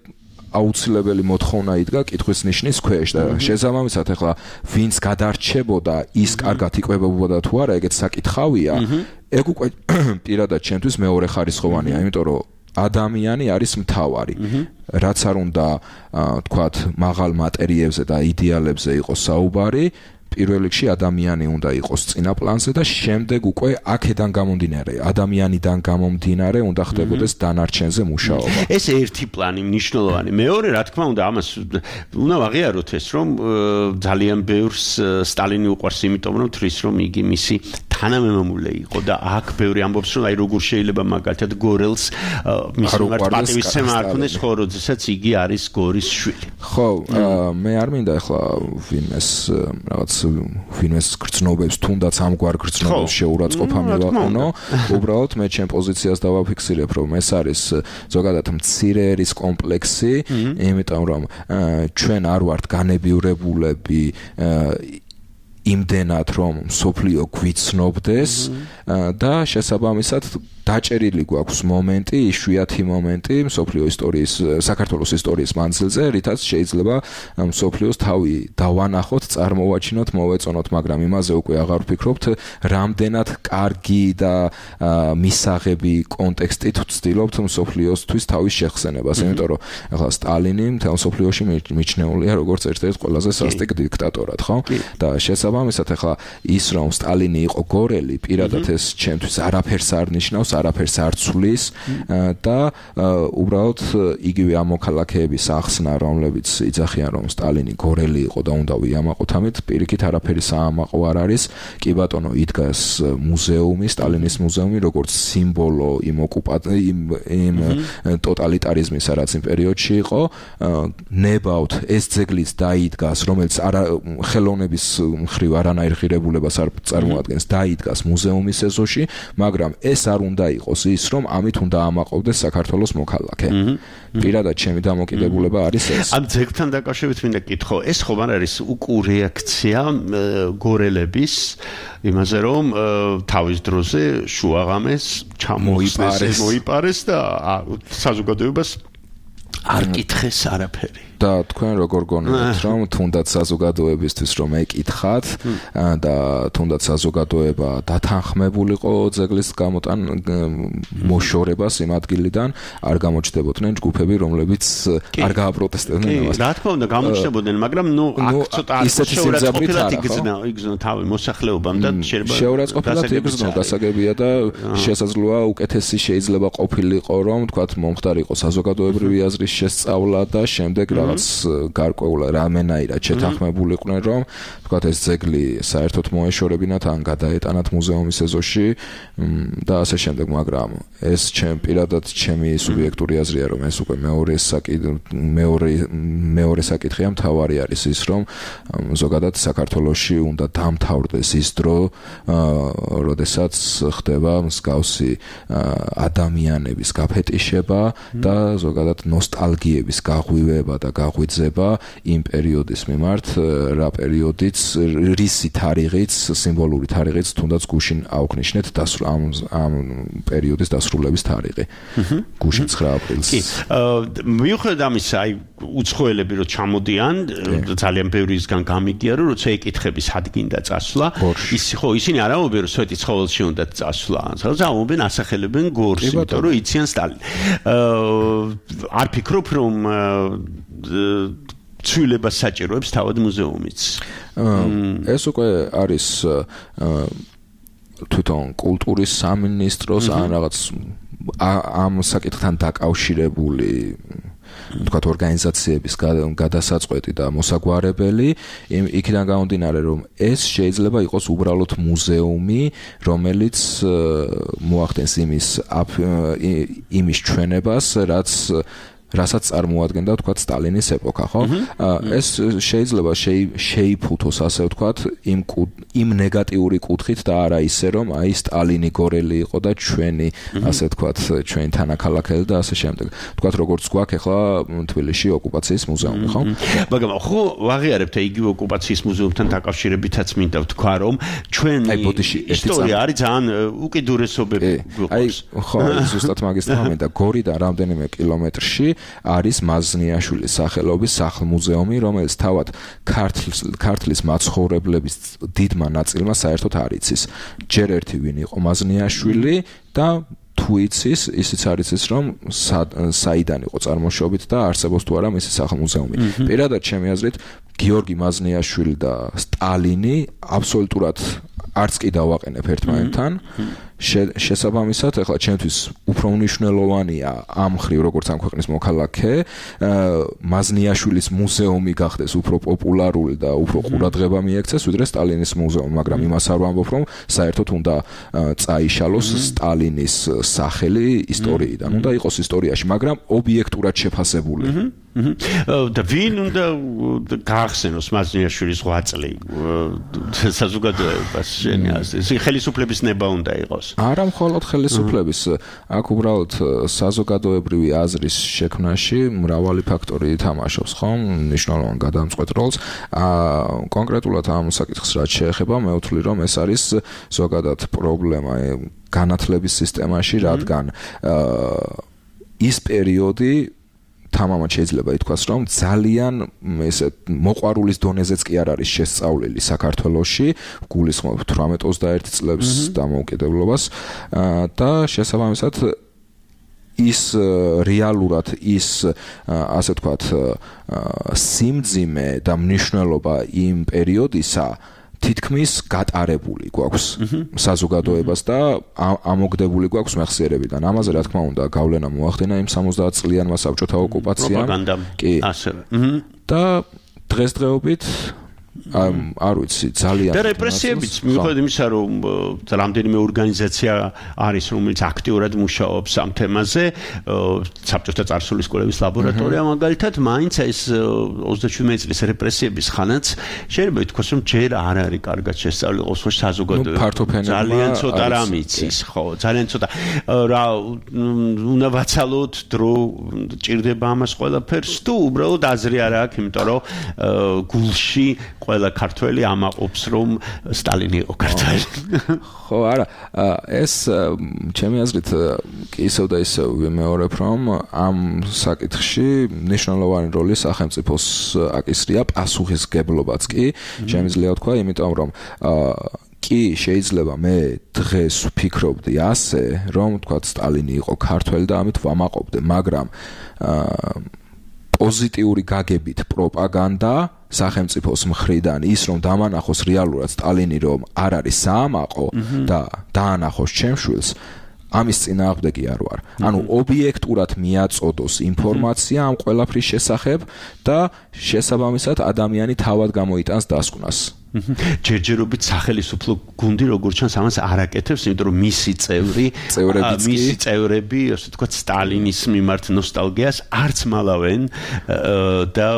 აუცილებელი მოთხოვნა იდგა კითხვის ნიშნის ქვეშ და შესაბამისად ახლა ვინც გადარჩებოდა ის კარგად იკვებებოდა თუ არა, ეგეც საკითხავია. ეგ უკვე პირადად ჩემთვის მეორე ხარისხოვანია, იმიტომ რომ ადამიანი არის მთავარი. რაც არ უნდა თქვათ მაღალ მატერიებზე და იდეალებზე იყოს საუბარი, პირველ რიგში ადამიანი უნდა იყოს წინა პლანზე და შემდეგ უკვე აქედან გამომდინარე, ადამიანიდან გამომდინარე უნდა ხდებოდეს დანარჩენზე მუშაობა. ეს ერთი პლანი მნიშვნელოვანი. მეორე, რა თქმა უნდა, ამას უნდა ვაღიაროთ ეს, რომ ძალიან ბევრს სტალინი უყვარს, იმიტომ რომ თვლის რომ იგი მისი თანამემამულე იყო და აქ ბევრი ამბობს, რომ აი როგორ შეიძლება მაგალითად გორელს მის მიმართ პატივისცემა არ ქონდეს, ხო, როდესაც იგი არის გორის შვილი. ხო, მე არ მინდა ახლა ვინმეს რაღაც ვინმეს გრძნობებს, თუნდაც ამგვარ გრძნობებს შეურაცხყოფა მივაყენო, უბრალოდ მე ჩემ პოზიციას დავაფიქსირებ, რომ ეს არის ზოგადად მცირე ერის კომპლექსი, იმიტომ რომ ჩვენ არ ვართ განებიურებულები იმდენად რომ სოფლიო გვიცნობდეს და შესაბამისად დაჭერილი გვაქვს მომენტი, იშვიათი მომენტი სოფლიო ისტორიის, საქართველოს ისტორიის მანძილზე, რითაც შეიძლება სოფლიოს თავი დავანახოთ, წარმოვაჩინოთ, მოვეწონოთ, მაგრამ იმაზე უკვე აღარ ვფიქრობთ, რამდენად კარგი და მისაღები კონტექსტით ვცდილობთ სოფლიოსთვის თავის შეხსენებას, იმიტომ რომ ახლა სტალინი მთელ სოფლიოში მიჩნეულია როგორც ერთ-ერთი ყველაზე სასტიკ დიქტატორად, ხო? და შესაბამისად ახლა ის რომ სტალინი იყო გორელი, პირადად ეს ჩემთვის არაფერს არ ნიშნავს, არაფერს არ ცვლის და უბრალოდ იგივე ამ მოქალაქეების ახსნა, რომლებიც იძახიან რომ სტალინი გორელი იყო და უნდა ვიამაყოთ ამით, პირიქით არაფერი საამაყო არ არის. კი ბატონო, იდგას მუზეუმი, სტალინის მუზეუმი, როგორც სიმბოლო იმ ოკუპაციის იმ ტოტალიტარიზმის, რაც იმ პერიოდში იყო, ნებავთ ეს ძეგლიც დაიდგას, რომელიც ხელოვნების მხრივ არანაირ ღირებულებას არ წარმოადგენს, დაიდგას მუზეუმის ეზოში, მაგრამ ეს არ უნდა იყოს ის, რომ ამით უნდა ამაყობდეს საქართველოს მოქალაქე. პირადად ჩემი დამოკიდებულება არის ეს. ამ ძეგლთან დაკავშირებით მინდა კითხო, ეს ხომ არ არის უკუ რეაქცია გორელების იმაზე, რომ თავის დროზე შუაღამეს ჩამოიწეს, მოიპარეს და საზოგადოებას არ კითხეს არაფერი. და თქვენ როგორ გონებთ, რომ თუნდაც საზოგადოებისთვის რომ ეკითხათ და თუნდაც საზოგადოება დათანხმებულიყო ძეგლის გამოტან მოშორებას იმ ადგილიდან, არ გამოჩნდებოდნენ ჯგუფები, რომლებიც არ გააპროტესტებდნენ ამას. რა თქმა უნდა, გამოჩნდებოდნენ, მაგრამ ნუ აქ ცოტა შეურაცხყოფილად იგზნა, იგზნა თავი მოსახლეობამ და შეიძლება შეურაცხყოფილად იგზნო, გასაგებია და შესაძლოა უკეთესი შეიძლება ყოფილიყო, რომ თქვათ მომხდარიყო საზოგადოებრივი აზრის შესწავლა და შემდეგ რა რაღაც გარკვეულად რამენაირად შეთანხმებულიყვნენ, რომ თქვათ ეს ძეგლი საერთოდ მოეშორებინათ ან გადაეტანათ მუზეუმის ეზოში და ასე შემდეგ, მაგრამ ეს ჩემ პირადად ჩემი სუბიექტური აზრია, რომ ეს უკვე მეორე საკითხი მეორე მეორე საკითხია, მთავარი არის ის, რომ ზოგადად საქართველოში უნდა დამთავრდეს ის დრო, როდესაც ხდება მსგავსი ადამიანების გაფეტიშება და ზოგადად ნოსტალგიების გაღვივება და გაღვიძება იმ პერიოდის მიმართ, რა პერიოდიც, რისი თარიღიც, სიმბოლური თარიღიც თუნდაც გუშინ აუქნიშნეთ ამ ამ პერიოდის დასრულების თარიღი. გუშინ ცხრა აპრილს. კი, მიუხედავად ამისა, აი უცხოელები რო ჩამოდიან, ძალიან ბევრისგან გამიგია, რომ როცა ეკითხები სად გინდა წასვლა, ის ხო ისინი არ ამბობენ, რომ სვეტი ცხოველში უნდა წასვლა, სადაც ამბობენ ასახელებენ გორს, იმიტომ რომ იციან სტალინი. არ ფიქრობ, რომ ცვლილებას საჭიროებს თავად მუზეუმიც. ეს უკვე არის თვითონ კულტურის სამინისტროს ან რაღაც ამ საკითხთან დაკავშირებული თქვათ ორგანიზაციების გადასაწყვეტი და მოსაგვარებელი, იქიდან გამომდინარე, რომ ეს შეიძლება იყოს უბრალოდ მუზეუმი, რომელიც მოახდენს იმის იმის ჩვენებას, რაც რასაც წარმოადგენდა თქვათ სტალინის ეპოქა, ხო? ეს შეიძლება შეიფუთოს, ასე ვთქვათ, იმ იმ ნეგატიური კუთხით და არა ისე, რომ აი სტალინი გორელი იყო და ჩვენი, ასე ვთქვათ, ჩვენი თანაქალაქელი და ასე შემდეგ. თქვათ, როგორც გვაქვს ახლა თბილისში ოკუპაციის მუზეუმი, ხო? მაგრამ ხო ვაღიარებთ იგივე ოკუპაციის მუზეუმთან დაკავშირებითაც მინდა ვთქვა, რომ ჩვენი ისტორია არის ძალიან უკიდურესობები გვყავს. აი, ხო, ზუსტად მაგის თქმა მინდა, გორიდან რამდენიმე კილომეტრში არის მაზნიაშვილის სახელობის სახლ-მუზეუმი, რომელიც თავად ქართლის მაცხოვრებლების დიდმა ნაწილმა საერთოდ არ იცის. ჯერ ერთი ვინ იყო მაზნიაშვილი და თუ იცის, ისიც არ იცის, რომ საიდან იყო წარმოშობით და არსებობს თუ არა მისი სახლ-მუზეუმი. პირადად ჩემი აზრით, გიორგი მაზნიაშვილი და სტალინი აბსოლუტურად არც კი დავაყენებ ერთმანეთთან. შესაბამისად, ახლა ჩემთვის უფრო მნიშვნელოვანია ამ ხრივ, როგორც ამ ქვეყნის მოქალაქე, მაზნიაშვილის მუზეუმი გახდეს უფრო პოპულარული და უფრო ყურადღება მიექცეს, ვიდრე სტალინის მუზეუმი, მაგრამ იმას არ ვამბობ, რომ საერთოდ უნდა წაიშალოს სტალინის სახელი ისტორიიდან. უნდა იყოს ისტორიაში, მაგრამ ობიექტურად შეფასებული. და ვინ უნდა გაახსენოს მაზნიაშვილის ღვაწლი საზოგადოებას შენი აზრით? ხელისუფლების ნება უნდა იყოს. არა მხოლოდ ხელისუფლების, აქ უბრალოდ საზოგადოებრივი აზრის შექმნაში მრავალი ფაქტორი ითამაშობს, ხო? მნიშვნელოვან გადამწყვეტ როლს. კონკრეტულად ამ საკითხს რაც შეეხება, მე ვთვლი, რომ ეს არის ზოგადად პრობლემა განათლების სისტემაში, რადგან ის პერიოდი თამამად შეიძლება ითქვას, რომ ძალიან ესე მოყვარულის დონეზეც კი არ არის შესწავლილი საქართველოში, გულისხმობ თვრამეტ ოცდაერთი წლებს დამოუკიდებლობას და შესაბამისად ის რეალურად ის ასე ვთქვათ სიმძიმე და მნიშვნელობა იმ პერიოდისა თითქმის გატარებული გვაქვს საზოგადოებას და ამოგდებული გვაქვს მეხსიერებიდან. ამაზე რა თქმა უნდა გავლენა მოახდინა იმ სამოცდაათ წლიანმა საბჭოთა ოკუპაციამ. კი, ასევე. და დღესდღეობით არ ვიცი, ძალიან და რეპრესიებიც, მიუხედავად იმისა, რომ რამდენიმე ორგანიზაცია არის, რომელიც აქტიურად მუშაობს ამ თემაზე, საბჭოთა წარსულის კვლევის ლაბორატორია მაგალითად, მაინც ეს ოცდაშვიდმეტი წლის რეპრესიების ხანაც შეიძლება ითქვას, რომ ჯერ არ არის კარგად შესწავლილი ყოველ საზოგადოება. ძალიან ცოტა რამ იცის, ხო, ძალიან ცოტა. რა უნდა ვაცალოთ დრო ჭირდება ამას ყველაფერს თუ უბრალოდ აზრი არ აქვს, იმიტომ რომ გულში ყველა ქართველი ამაყობს, რომ სტალინი იყო ქართველი. ხო, არა, ეს ჩემი აზრით კი ისევ და ისევ ვიმეორებ, რომ ამ საკითხში მნიშვნელოვანი როლი სახელმწიფოს აკისრია, პასუხისგებლობაც კი შემიძლია ვთქვა, იმიტომ რომ კი შეიძლება მე დღეს ვფიქრობდი ასე, რომ თქვა სტალინი იყო ქართველი და ამით ვამაყობდი, მაგრამ პოზიტიური გაგებით პროპაგანდა სახელმწიფოს მხრიდან ის რომ დამანახოს რეალურად სტალინი რომ არ არის საამაყო და დაანახოს ჩემს შვილს ამის წინააღმდეგი არ ვარ. ანუ ობიექტურად მიაწოდოს ინფორმაცია ამ ყველაფრის შესახებ და შესაბამისად ადამიანი თავად გამოიტანს დასკვნას. ჯერჯერობით სახელმწიფო გუნდი როგორც ჩანს ამას არ აკეთებს, იმიტომ რომ მისი წევრი, მისი წევრები, ასე ვთქვათ, სტალინის მიმართ ნოსტალგიას არც მალავენ და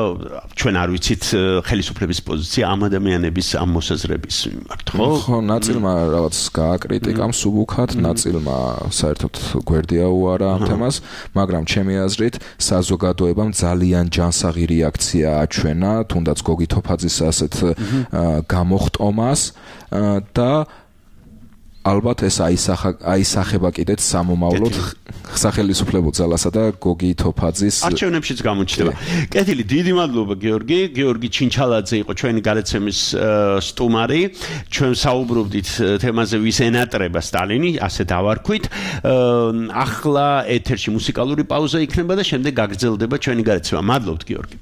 ჩვენ არ ვიცით ხელისუფლების პოზიცია ამ ადამიანების ამ მოსაზრების მიმართ, ხო? ხო, ნაწილმა რაღაც გააკრიტიკა მსუბუქად, ნაწილმა საერთოდ გვერდია უარა ამ თემას, მაგრამ ჩემი აზრით საზოგადოებამ ძალიან ჯანსაღი რეაქცია აჩვენა, თუნდაც გოგი თოფაძის ასეთ გამოხტომას და ალბათ ეს აისახა აისახება კიდეც სამომავლოდ სახელმწიფო ძალასა და გოგი თოფაძის არჩევნებშიც გამოჩნდება. კეთილი, დიდი მადლობა გიორგი. გიორგი ჩინჩალაძე იყო ჩვენი გადაცემის სტუმარი. ჩვენ საუბრობდით თემაზე, ვის ენატრება სტალინი, ასე დავარქვით. ახლა ეთერში მუსიკალური პაუზა იქნება და შემდეგ გაგრძელდება ჩვენი გადაცემა. მადლობთ გიორგი.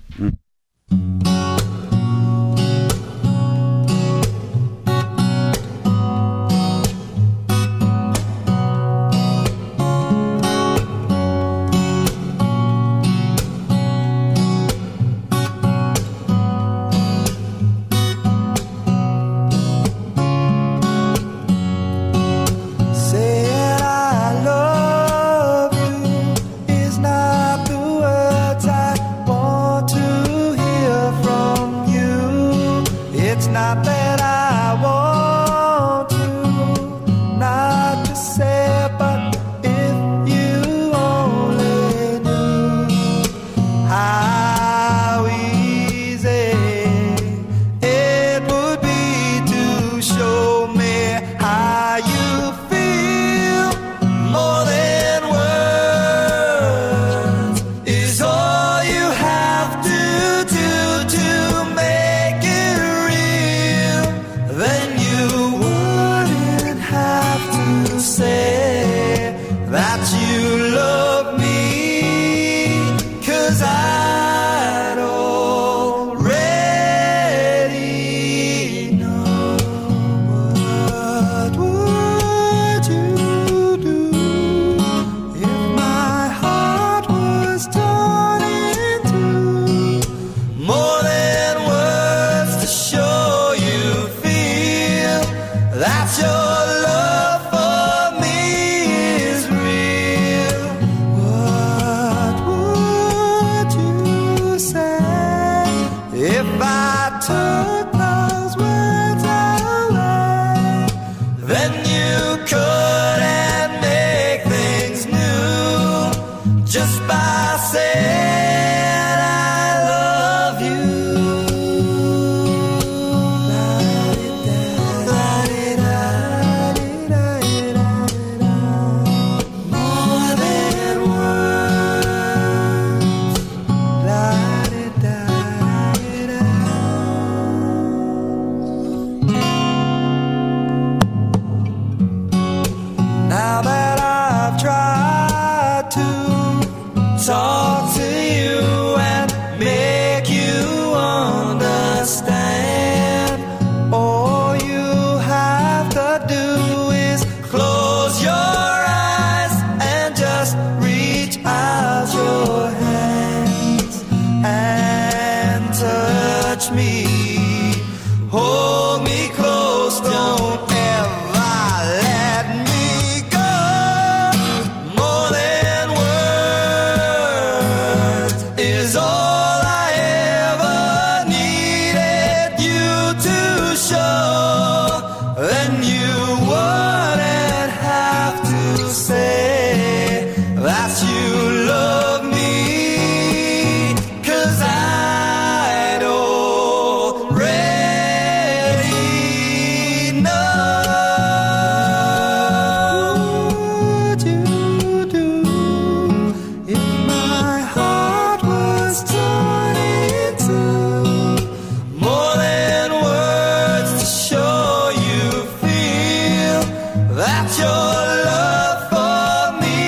That your love for me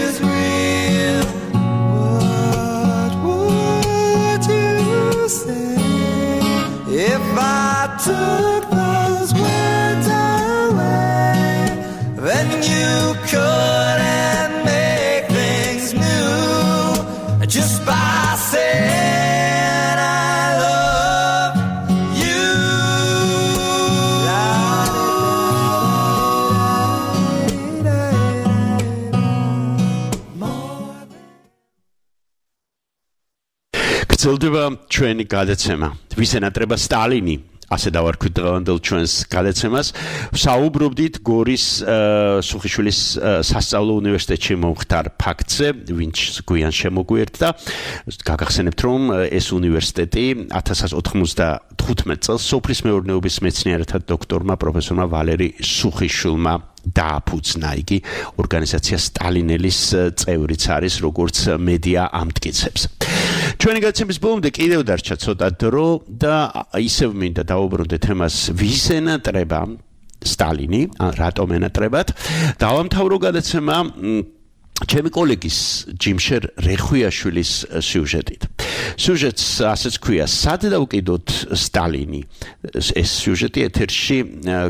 is real. გრძელდება ჩვენი გადაცემა. ვის ენატრება სტალინი? ასე დავარქვით დღევანდელ ჩვენს გადაცემას. საუბრობდით გორის სუხიშვილის სასწავლო უნივერსიტეტში მომხდარ ფაქტზე, ვინც გვიან შემოგვიერთდა. გაგახსენებთ, რომ ეს უნივერსიტეტი ათას ათას ოცდათხუთმეტ წელს სოფლის მეურნეობის მეცნიერთა დოქტორმა პროფესორმა ვალერი სუხიშვილმა დააფუძნა. იგი ორგანიზაცია სტალინელის წევრიც არის, როგორც მედია ამტკიცებს. ჩვენი გადაცემის ბოლომდე კიდევ დარჩა ცოტა დრო და ისევ მინდა დავუბრუნდეთ თემას, ვის ენატრება სტალინი, რატომ ენატრებათ. დავამთავრო გადაცემა ჩემი კოლეგის ჯიმშერ რეხვიაშვილის სიუჟეტით. სიუჟეტს ასეც ქვია, სად დავკიდოთ სტალინი. ეს სიუჟეტი ეთერში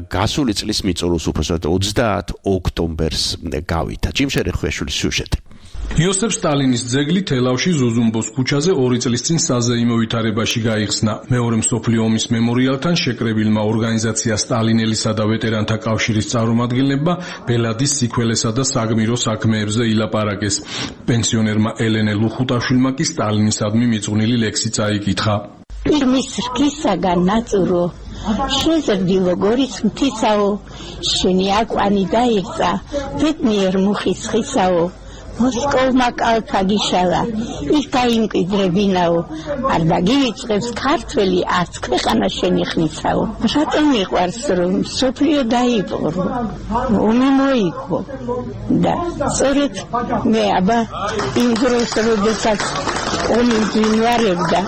გასული წლის მიწურულს უბრალოდ ოცდაათ ოქტომბერს გავიდა. ჯიმშერ რეხვიაშვილის სიუჟეტი. იოსებ სტალინის ძეგლი თელავში ზუზუმბოს ქუჩაზე ორი წლის წინ საზეიმო ვითარებაში გაიხსნა. მეორე მსოფლიო ომის მემორიალთან შეკრებილმა ორგანიზაცია სტალინელისა და ვეტერანთა კავშირის წარმომადგენლებმა ბელადის სიქველესა და საგმირო საქმეებზე ილაპარაკეს. პენსიონერმა ელენე ლუხუტაშვილმა კი სტალინისადმი მიძღვნილი ლექსი წაიკითხა. მის რქისაგან ნაწურო შეზრდილო გორის მთისაო, შენი აკვანი დაიღწა ბედნიერ მუხის ხისაო, მოსკოვმა კალთა გიშალა, ის გაიმკვიდრებინაო, არ დაგივიწყებს ქართველი არც ქვეყანა შენი ხნისაო. რატომ მიყვარს რომ სოფლიო დაიპყრო, ომი მოიგო და სწორედ მე აბა იმ დროს როდესაც ომი მძინვარებდა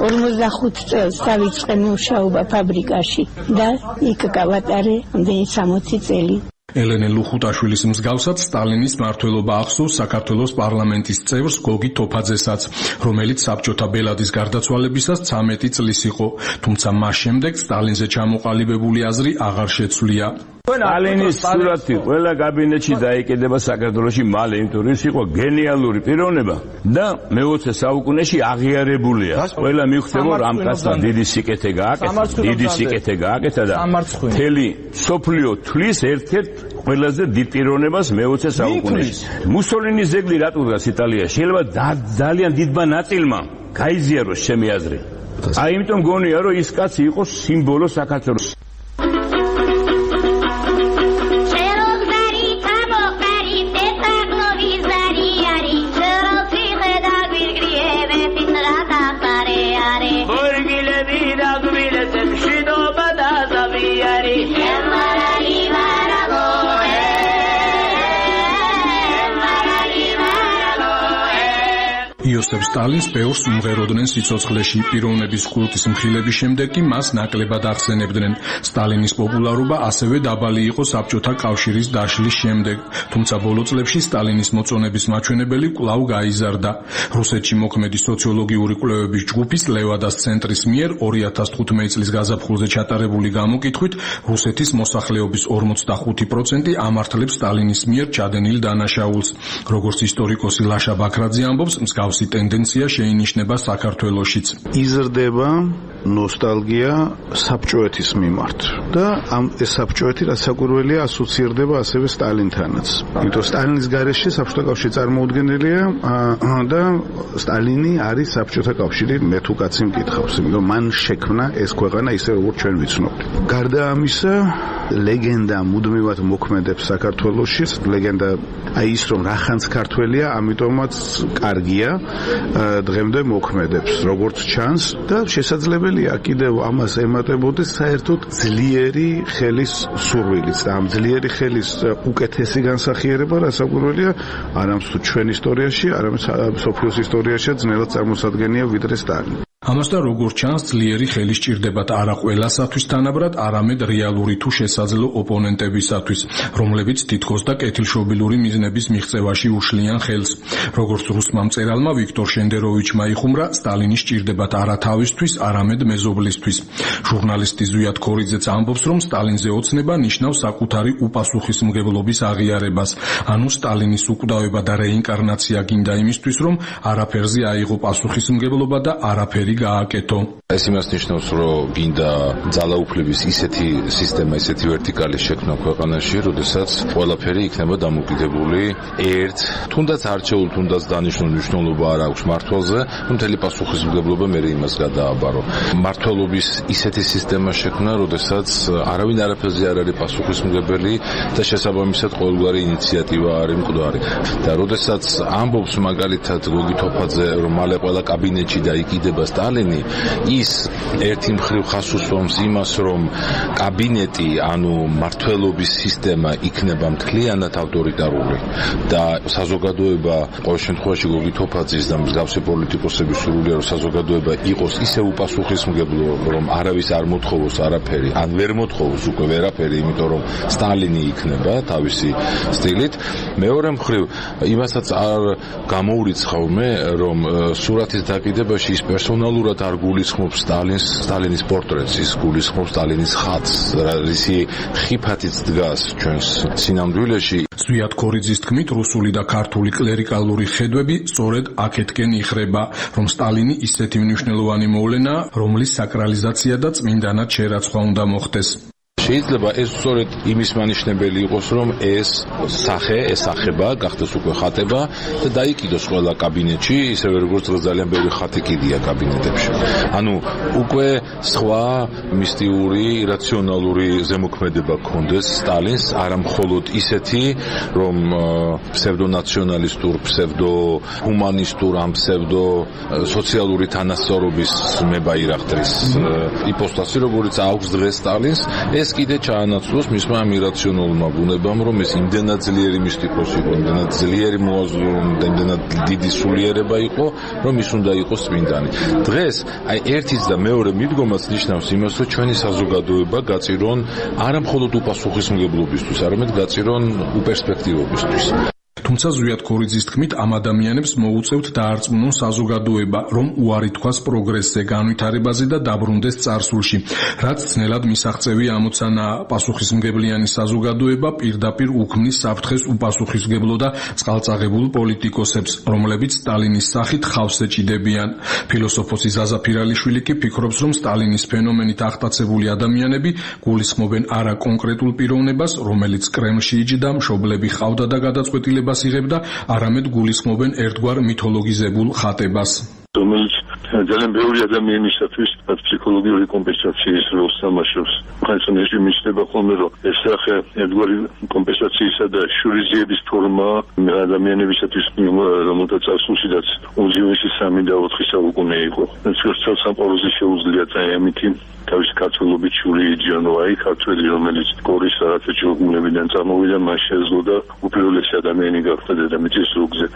ორმოცდახუთ წელს დავიწყე მუშაობა ფაბრიკაში და იქ გავატარე ამდენი სამოცი წელი. ელენე ლუხუტაშვილის მსგავსად სტალინის მმართველობა ახსოვს საქართველოს პარლამენტის წევრს გოგი თოფაძესაც, რომელიც საბჭოთა ბელადის გარდაცვალებისას ცამეტი წლის იყო, თუმცა მას შემდეგ სტალინზე ჩამოყალიბებული აზრი აღარ შეცვლია. სტალინის სურათი ყველა კაბინეტში დაიკიდება საქართველოში მალე, იმიტომ რომ ის იყო გენიალური პიროვნება და მეოცე საუკუნეში აღიარებულია. ყველა მიხვდება რომ ამ კაცმა დიდი სიკეთე გააკეთა, დიდი სიკეთე გააკეთა და მთელი სოფლიო თვლის ერთ-ერთ ყველაზე დიდ პიროვნებას მეოცე საუკუნეში. მუსოლინის ძეგლი რატო დგას იტალიაში? შეიძლება ძალიან დიდმა ნაწილმა გაიზიაროს ჩემი აზრი. აი იმიტომ გონია რომ ის კაცი იყო სიმბოლო საქართველოს. იოსებ სტალინს ბევრს უმღეროდნენ სიცოცხლეში, პიროვნების კულტის მხილების შემდეგ კი მას ნაკლებად ახსენებდნენ. სტალინის პოპულარობა ასევე დაბალი იყო საბჭოთა კავშირის დაშლის შემდეგ, თუმცა ბოლო წლებში სტალინის მოწონების მაჩვენებელი კვლავ გაიზარდა. რუსეთში მოქმედი სოციოლოგიური კვლევების ჯგუფის ლევადას ცენტრის მიერ ორი ათას თხუთმეტი წლის გაზაფხულზე ჩატარებული გამოკითხვით რუსეთის მოსახლეობის ორმოცდახუთი პროცენტი ამართლებს სტალინის მიერ ჩადენილ დანაშაულს. როგორც ისტორიკოსი ლაშა ბაქრაძე ამბობს, მსგავსი ტენდენცია შეინიშნება საქართველოშიც. იზრდება ნოსტალგია საბჭოეთის მიმართ და ამ ეს საბჭოეთი რაც საკვირველია ასოცირდება ასევე სტალინთანაც. იმიტომ სტალინის გარეშე საბჭოთა კავშირი წარმოუდგენელია და სტალინი არის საბჭოთა კავშირი მე თუ კაცი მკითხავს, იმიტომ მან შექმნა ეს ქვეყანა ისე როგორც ჩვენ ვიცნობთ. გარდა ამისა, ლეგენდა მუდმივად მოქმედებს საქართველოში, ლეგენდა აი ის რომ რახანც ქართველია, ამიტომაც კარგია დღემდე მოქმედებს, როგორც ჩანს და შესაძლებელია კიდევ ამას ემატებოდეს საერთოდ ძლიერი ხელის სურვილიც და ამ ძლიერი ხელის უკეთესი განსახიერება რასაკვირველია არამც თუ ჩვენ ისტორიაში, არამც სოფლიოს ისტორიაში ძნელად წარმოსადგენია ვიდრე სტალინი. ამასთან როგორც ჩანს, ძლიერი ხელი სჭირდებათ არა ყველასათვის თანაბრად, არამედ რეალური თუ შესაძლო ოპონენტებისათვის, რომლებიც თითქოს და კეთილშობილური მიზნების მიღწევაში უშლიან ხელს. როგორც რუსმა მწერალმა ვიქტორ შენდეროვიჩმა იხუმრა, სტალინი სჭირდებათ არა თავისთვის, არამედ მეზობლისთვის. ჟურნალისტი ზვიად ქორიძეც ამბობს, რომ სტალინზე ოცნება ნიშნავს საკუთარი უპასუხისმგებლობის აღიარებას, ანუ სტალინის უკვდავება და რეინკარნაცია გინდა იმისთვის, რომ არაფერზე აიღო პასუხისმგებლობა და არაფერი ყველაფერი გააკეთო. ეს იმას ნიშნავს, რომ გინდა ძალაუფლების ისეთი სისტემა, ისეთი ვერტიკალი შექმნა ქვეყანაში, როდესაც ყველაფერი იქნება დამოკიდებული ერთ, თუნდაც არჩეულ, თუნდაც დანიშნულ მნიშვნელობა არ აქვს მართლზე, მთელი პასუხისმგებლობა მე იმას გადააბარო. მართლობის ისეთი სისტემა შექმნა, როდესაც არავინ არაფერზე არ არის პასუხისმგებელი და შესაბამისად ყოველგვარი ინიციატივა არის მკვდარი. და როდესაც ამბობს მაგალითად გოგი თოფაძე, რომ მალე ყველა კაბინეტში დაიკიდება სტალინი, ის ერთი მხრივ ხას უსვამს იმას, რომ კაბინეტი, ანუ მართლობის სისტემა იქნება მთლიანად ავტორიტარული და საზოგადოება ყოველ შემთხვევაში გოგი თოფაძის და მსგავსი პოლიტიკოსების სურვილია, რომ საზოგადოება იყოს ისე უპასუხისმგებლო, რომ არავის არ მოთხოვოს არაფერი, ან ვერ მოთხოვოს უკვე ვერაფერი, იმიტომ რომ სტალინი იქნება თავისი სტილით. მეორე მხრივ იმასაც არ გამოურიცხავ მე, რომ სურათის დაკიდებაში ის პერსონალურად არ გულისხმობს სტალინს, სტალინის პორტრეტს, ის გულისხმობს სტალინის ხატს, რისი ხიფათიც დგას ჩვენს სინამდვილეში. ზვიად ქორიძის თქმით, რუსული და ქართული კლერიკალური ხედვები სწორედ აქეთკენ იხრება, რომ სტალინი ისეთი მნიშვნელოვანი მოვლენაა, რომლის საკრალიზაცია და წმინდანად შერაცხვა უნდა მოხდეს. შეიძლება ეს სწორედ იმის მანიშნებელი იყოს, რომ ეს სახე, ეს სახება გახდეს უკვე ხატება და დაიკიდოს ყველა კაბინეტში, ისევე როგორც ძალიან ბევრი ხატი კიდია კაბინეტებში. ანუ უკვე სხვა მისტიური, რაციონალური ზემოქმედება გქონდეს სტალინს, არა მხოლოდ ისეთი, რომ ფსევდონაციონალისტურ, ფსევდოჰუმანისტურ, ამ ფსევდო სოციალური თანასწორობის მებაირახტრის იპოსტასი, როგორც აქვს დღეს სტალინს, ეს კიდე ჩაანაცვლოს მისმა ამ ირაციონალურმა ბუნებამ, რომ ეს იმდენად ძლიერი მისტიკოსი იყო, იმდენად ძლიერი მოაზროვნე, იმდენად დიდი სულიერება იყო, რომ ის უნდა იყოს წმინდანი. დღეს აი ერთის და მეორე მიდგომაც ნიშნავს იმას, რომ ჩვენი საზოგადოება გაწირონ არა მხოლოდ უპასუხისმგებლობისთვის, არამედ გაწირონ უპერსპექტივობისთვის. თუმცა ზვიად ქორიძის თქმით, ამ ადამიანებს მოუწევთ დაარწმუნონ საზოგადოება, რომ უარი თქვას პროგრესზე, განვითარებაზე და დაბრუნდეს წარსულში. რაც ძნელად მისაღწევი ამოცანა, პასუხისმგებლიანი საზოგადოება პირდაპირ უქმნის საფრთხეს უპასუხისმგებლო და წყალწაღებულ პოლიტიკოსებს, რომლებიც სტალინის სახით ხავს ეჭიდებიან. ფილოსოფოსი ზაზა ფირალიშვილი კი ფიქრობს, რომ სტალინის ფენომენით აღტაცებული ადამიანები გულისხმობენ არა კონკრეტულ პიროვნებას, რომელიც კრემლში იჯდა, მშობლები ყავდა და გადაწყვეტილებას იღებდა, არამედ გულისხმობენ ერთგვარ მითოლოგიზებულ ხატებას. რომელიც ძალიან ბევრი ადამიანისათვის ფსიქოლოგიური კომპენსაციის როლს თამაშობს. ხანსა რეჟიმი შეიძლება ხოლმე რომ ეს სახე ერთგვარი კომპენსაციისა და შურიზიების ფორმა ადამიანებისათვის, რომელთაც ასულშიდაც უძიუესი სამი და ოთხი საუკუნე იყო. ცხრა სამყაროზე შეუძლია ამითი თავის ქართველობით შური იჯიანო, აი ქართველი, რომელიც გორის რაღაცა ჯოგუნებიდან წამოვიდა, მას შეძლო და უპირველესი ადამიანი გახდა დედამიწის ზურგზე.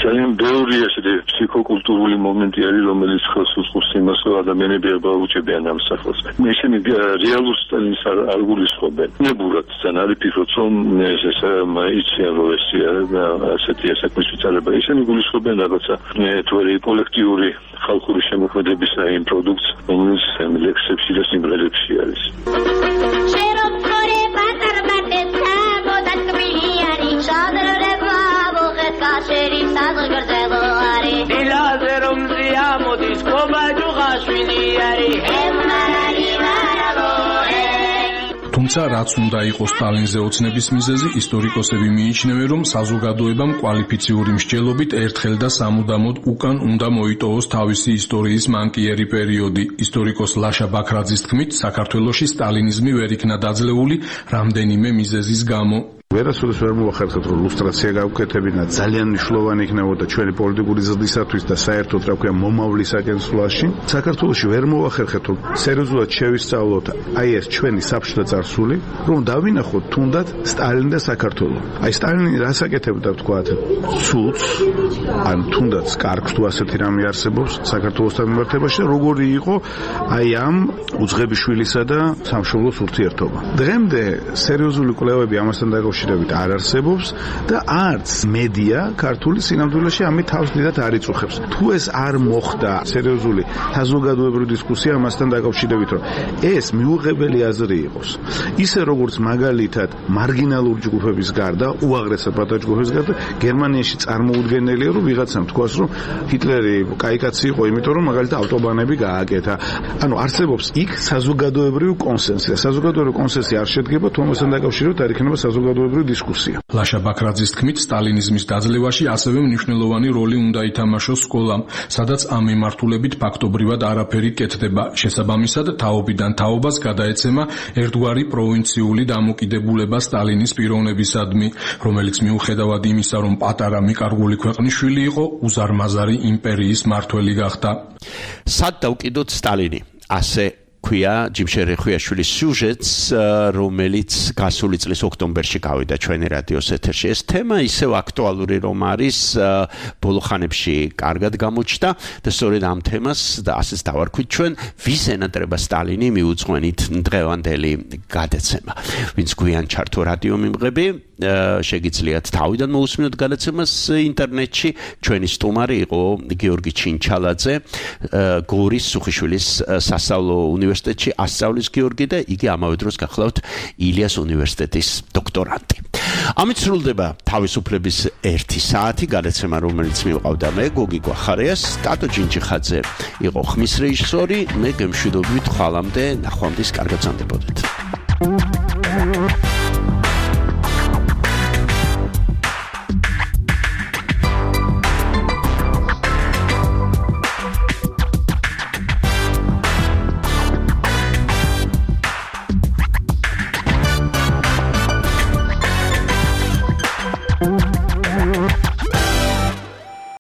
ძალიან ბევრი ესეთი ფსიქოკულტურული მომენტი არის, რომელიც ხელს უწყობს იმას, რომ ადამიანები აბაუჭებიან ამ სახელს. ისინი რეალურ სტალინს არ გულისხმობენ. ნებურად ძალიან არის ფიქრობთ, რომ ეს იციან, რომ ეს ასეთი საქმის ვიწარება. ისინი გულისხმობენ რაღაცა თვერი კოლექტიური ხალხური შემოქმედების იმ პროდუქტს, რომელიც ლექსებში და სიმღერებში არის. თუმცა რაც უნდა იყოს სტალინზე ოცნების მიზეზი, ისტორიკოსები მიიჩნევენ, რომ საზოგადოებამ კვალიფიციური მსჯელობით ერთხელ და სამუდამოდ უკან უნდა მოიტოვოს თავისი ისტორიის მანკიერი პერიოდი. ისტორიკოს ლაშა ბაქრაძის თქმით, საქართველოში სტალინიზმი ვერ იქნა დაძლეული რამდენიმე მიზეზის გამო. ვერასოდეს ვერ მოახერხეთ, რომ ლუსტრაცია გავკეთებინა ძალიან მნიშვნელოვანი იქნებოდა ჩვენი პოლიტიკური ზრდისათვის და საერთოდ რა ქვია მომავლის აკენსვლაში. საქართველოში ვერ მოახერხეთ, რომ სერიოზულად შევისწავლოთ აი ეს ჩვენი საბჭოთა წარსული, რომ დავინახოთ თუნდაც სტალინი და საქართველო. აი სტალინი რას აკეთებდა თქვათ? ცუდს, ან თუნდაც კარგს თუ ასეთი რამე არსებობს საქართველოსთან მიმართებაში, როგორი იყო აი ამ უძღებიშვილისა და სამშობლოს ურთიერთობა. დღემდე სერიოზული კვლევები ამასთან დაკავშირებით არ არსებობს და არც მედია ქართული სინამდვილეში ამით თავს დიდად არ იწუხებს. თუ ეს არ მოხდა სერიოზული საზოგადოებრივი დისკუსია ამასთან დაკავშირებით, რომ ეს მიუღებელი აზრი იყოს, ისე როგორც მაგალითად მარგინალური ჯგუფების გარდა, უაღრესად პატარა ჯგუფების გარდა, გერმანიაში წარმოუდგენელია, რომ ვიღაცამ თქვას რომ ჰიტლერი კაი კაცი იყო, იმიტომ რომ მაგალითად ავტობანები გააკეთა. ანუ არსებობს იქ საზოგადოებრივი კონსენსუსი. საზოგადოებრივი კონსენსუსი არ შედგება თუ ამასთან დაკავშირებით არ იქნება საზოგადოებრივი დისკუსია. ლაშა ბაქრაძის თქმით, სტალინიზმის დაძლევაში ასევე მნიშვნელოვანი როლი უნდა ითამაშოს სკოლამ, სადაც ამ მიმართულებით ფაქტობრივად არაფერი კეთდება. შესაბამისად, თაობიდან თაობას გადაეცემა ერთგვარი პროვინციული დამოკიდებულება სტალინის პიროვნებისადმი, რომელიც მიუხედავად იმისა, რომ პატარა მიკარგული ქვეყნის-შვილი იყო, უზარმაზარი იმპერიის მმართველი გახდა. სად დავკიდოთ სტალინი? ასე ქვია ჯიმშერ ხვიაშვილის სიუჟეტს, რომელიც გასული წლის ოქტომბერში გავიდა ჩვენი რადიოს ეთერში. ეს თემა ისევ აქტუალური რომ არის, ბოლო ხანებში კარგად გამოჩნდა და სწორედ ამ თემას და ასეც დავარქვით ჩვენ, ვის ენატრება სტალინი მიუძღვენით დღევანდელი გადაცემა. ვინც გვიან ჩართო რადიო მიმღები, შეგიძლიათ თავიდან მოусმინოთ გადაცემას ინტერნეტში. ჩვენი სტუმარი იყო გიორგი ჩინჩალაძე, გორის სუხიშვილის სასწავლო უნივერსიტეტში ასწავლის გიორგი და იგი ამავე დროს გახლავთ ილიას უნივერსიტეტის დოქტორანტი. ამით სრულდება თავისუფლების ერთი საათი გადაცემა, რომელიც მივყავდა მე გოგი გვახარიას, ტატო ჯინჯიხაძე იყო ხმის რეჟისორი, მე გემშვიდობებით ხვალამდე ნახვამდის კარგად ზამდებოდეთ.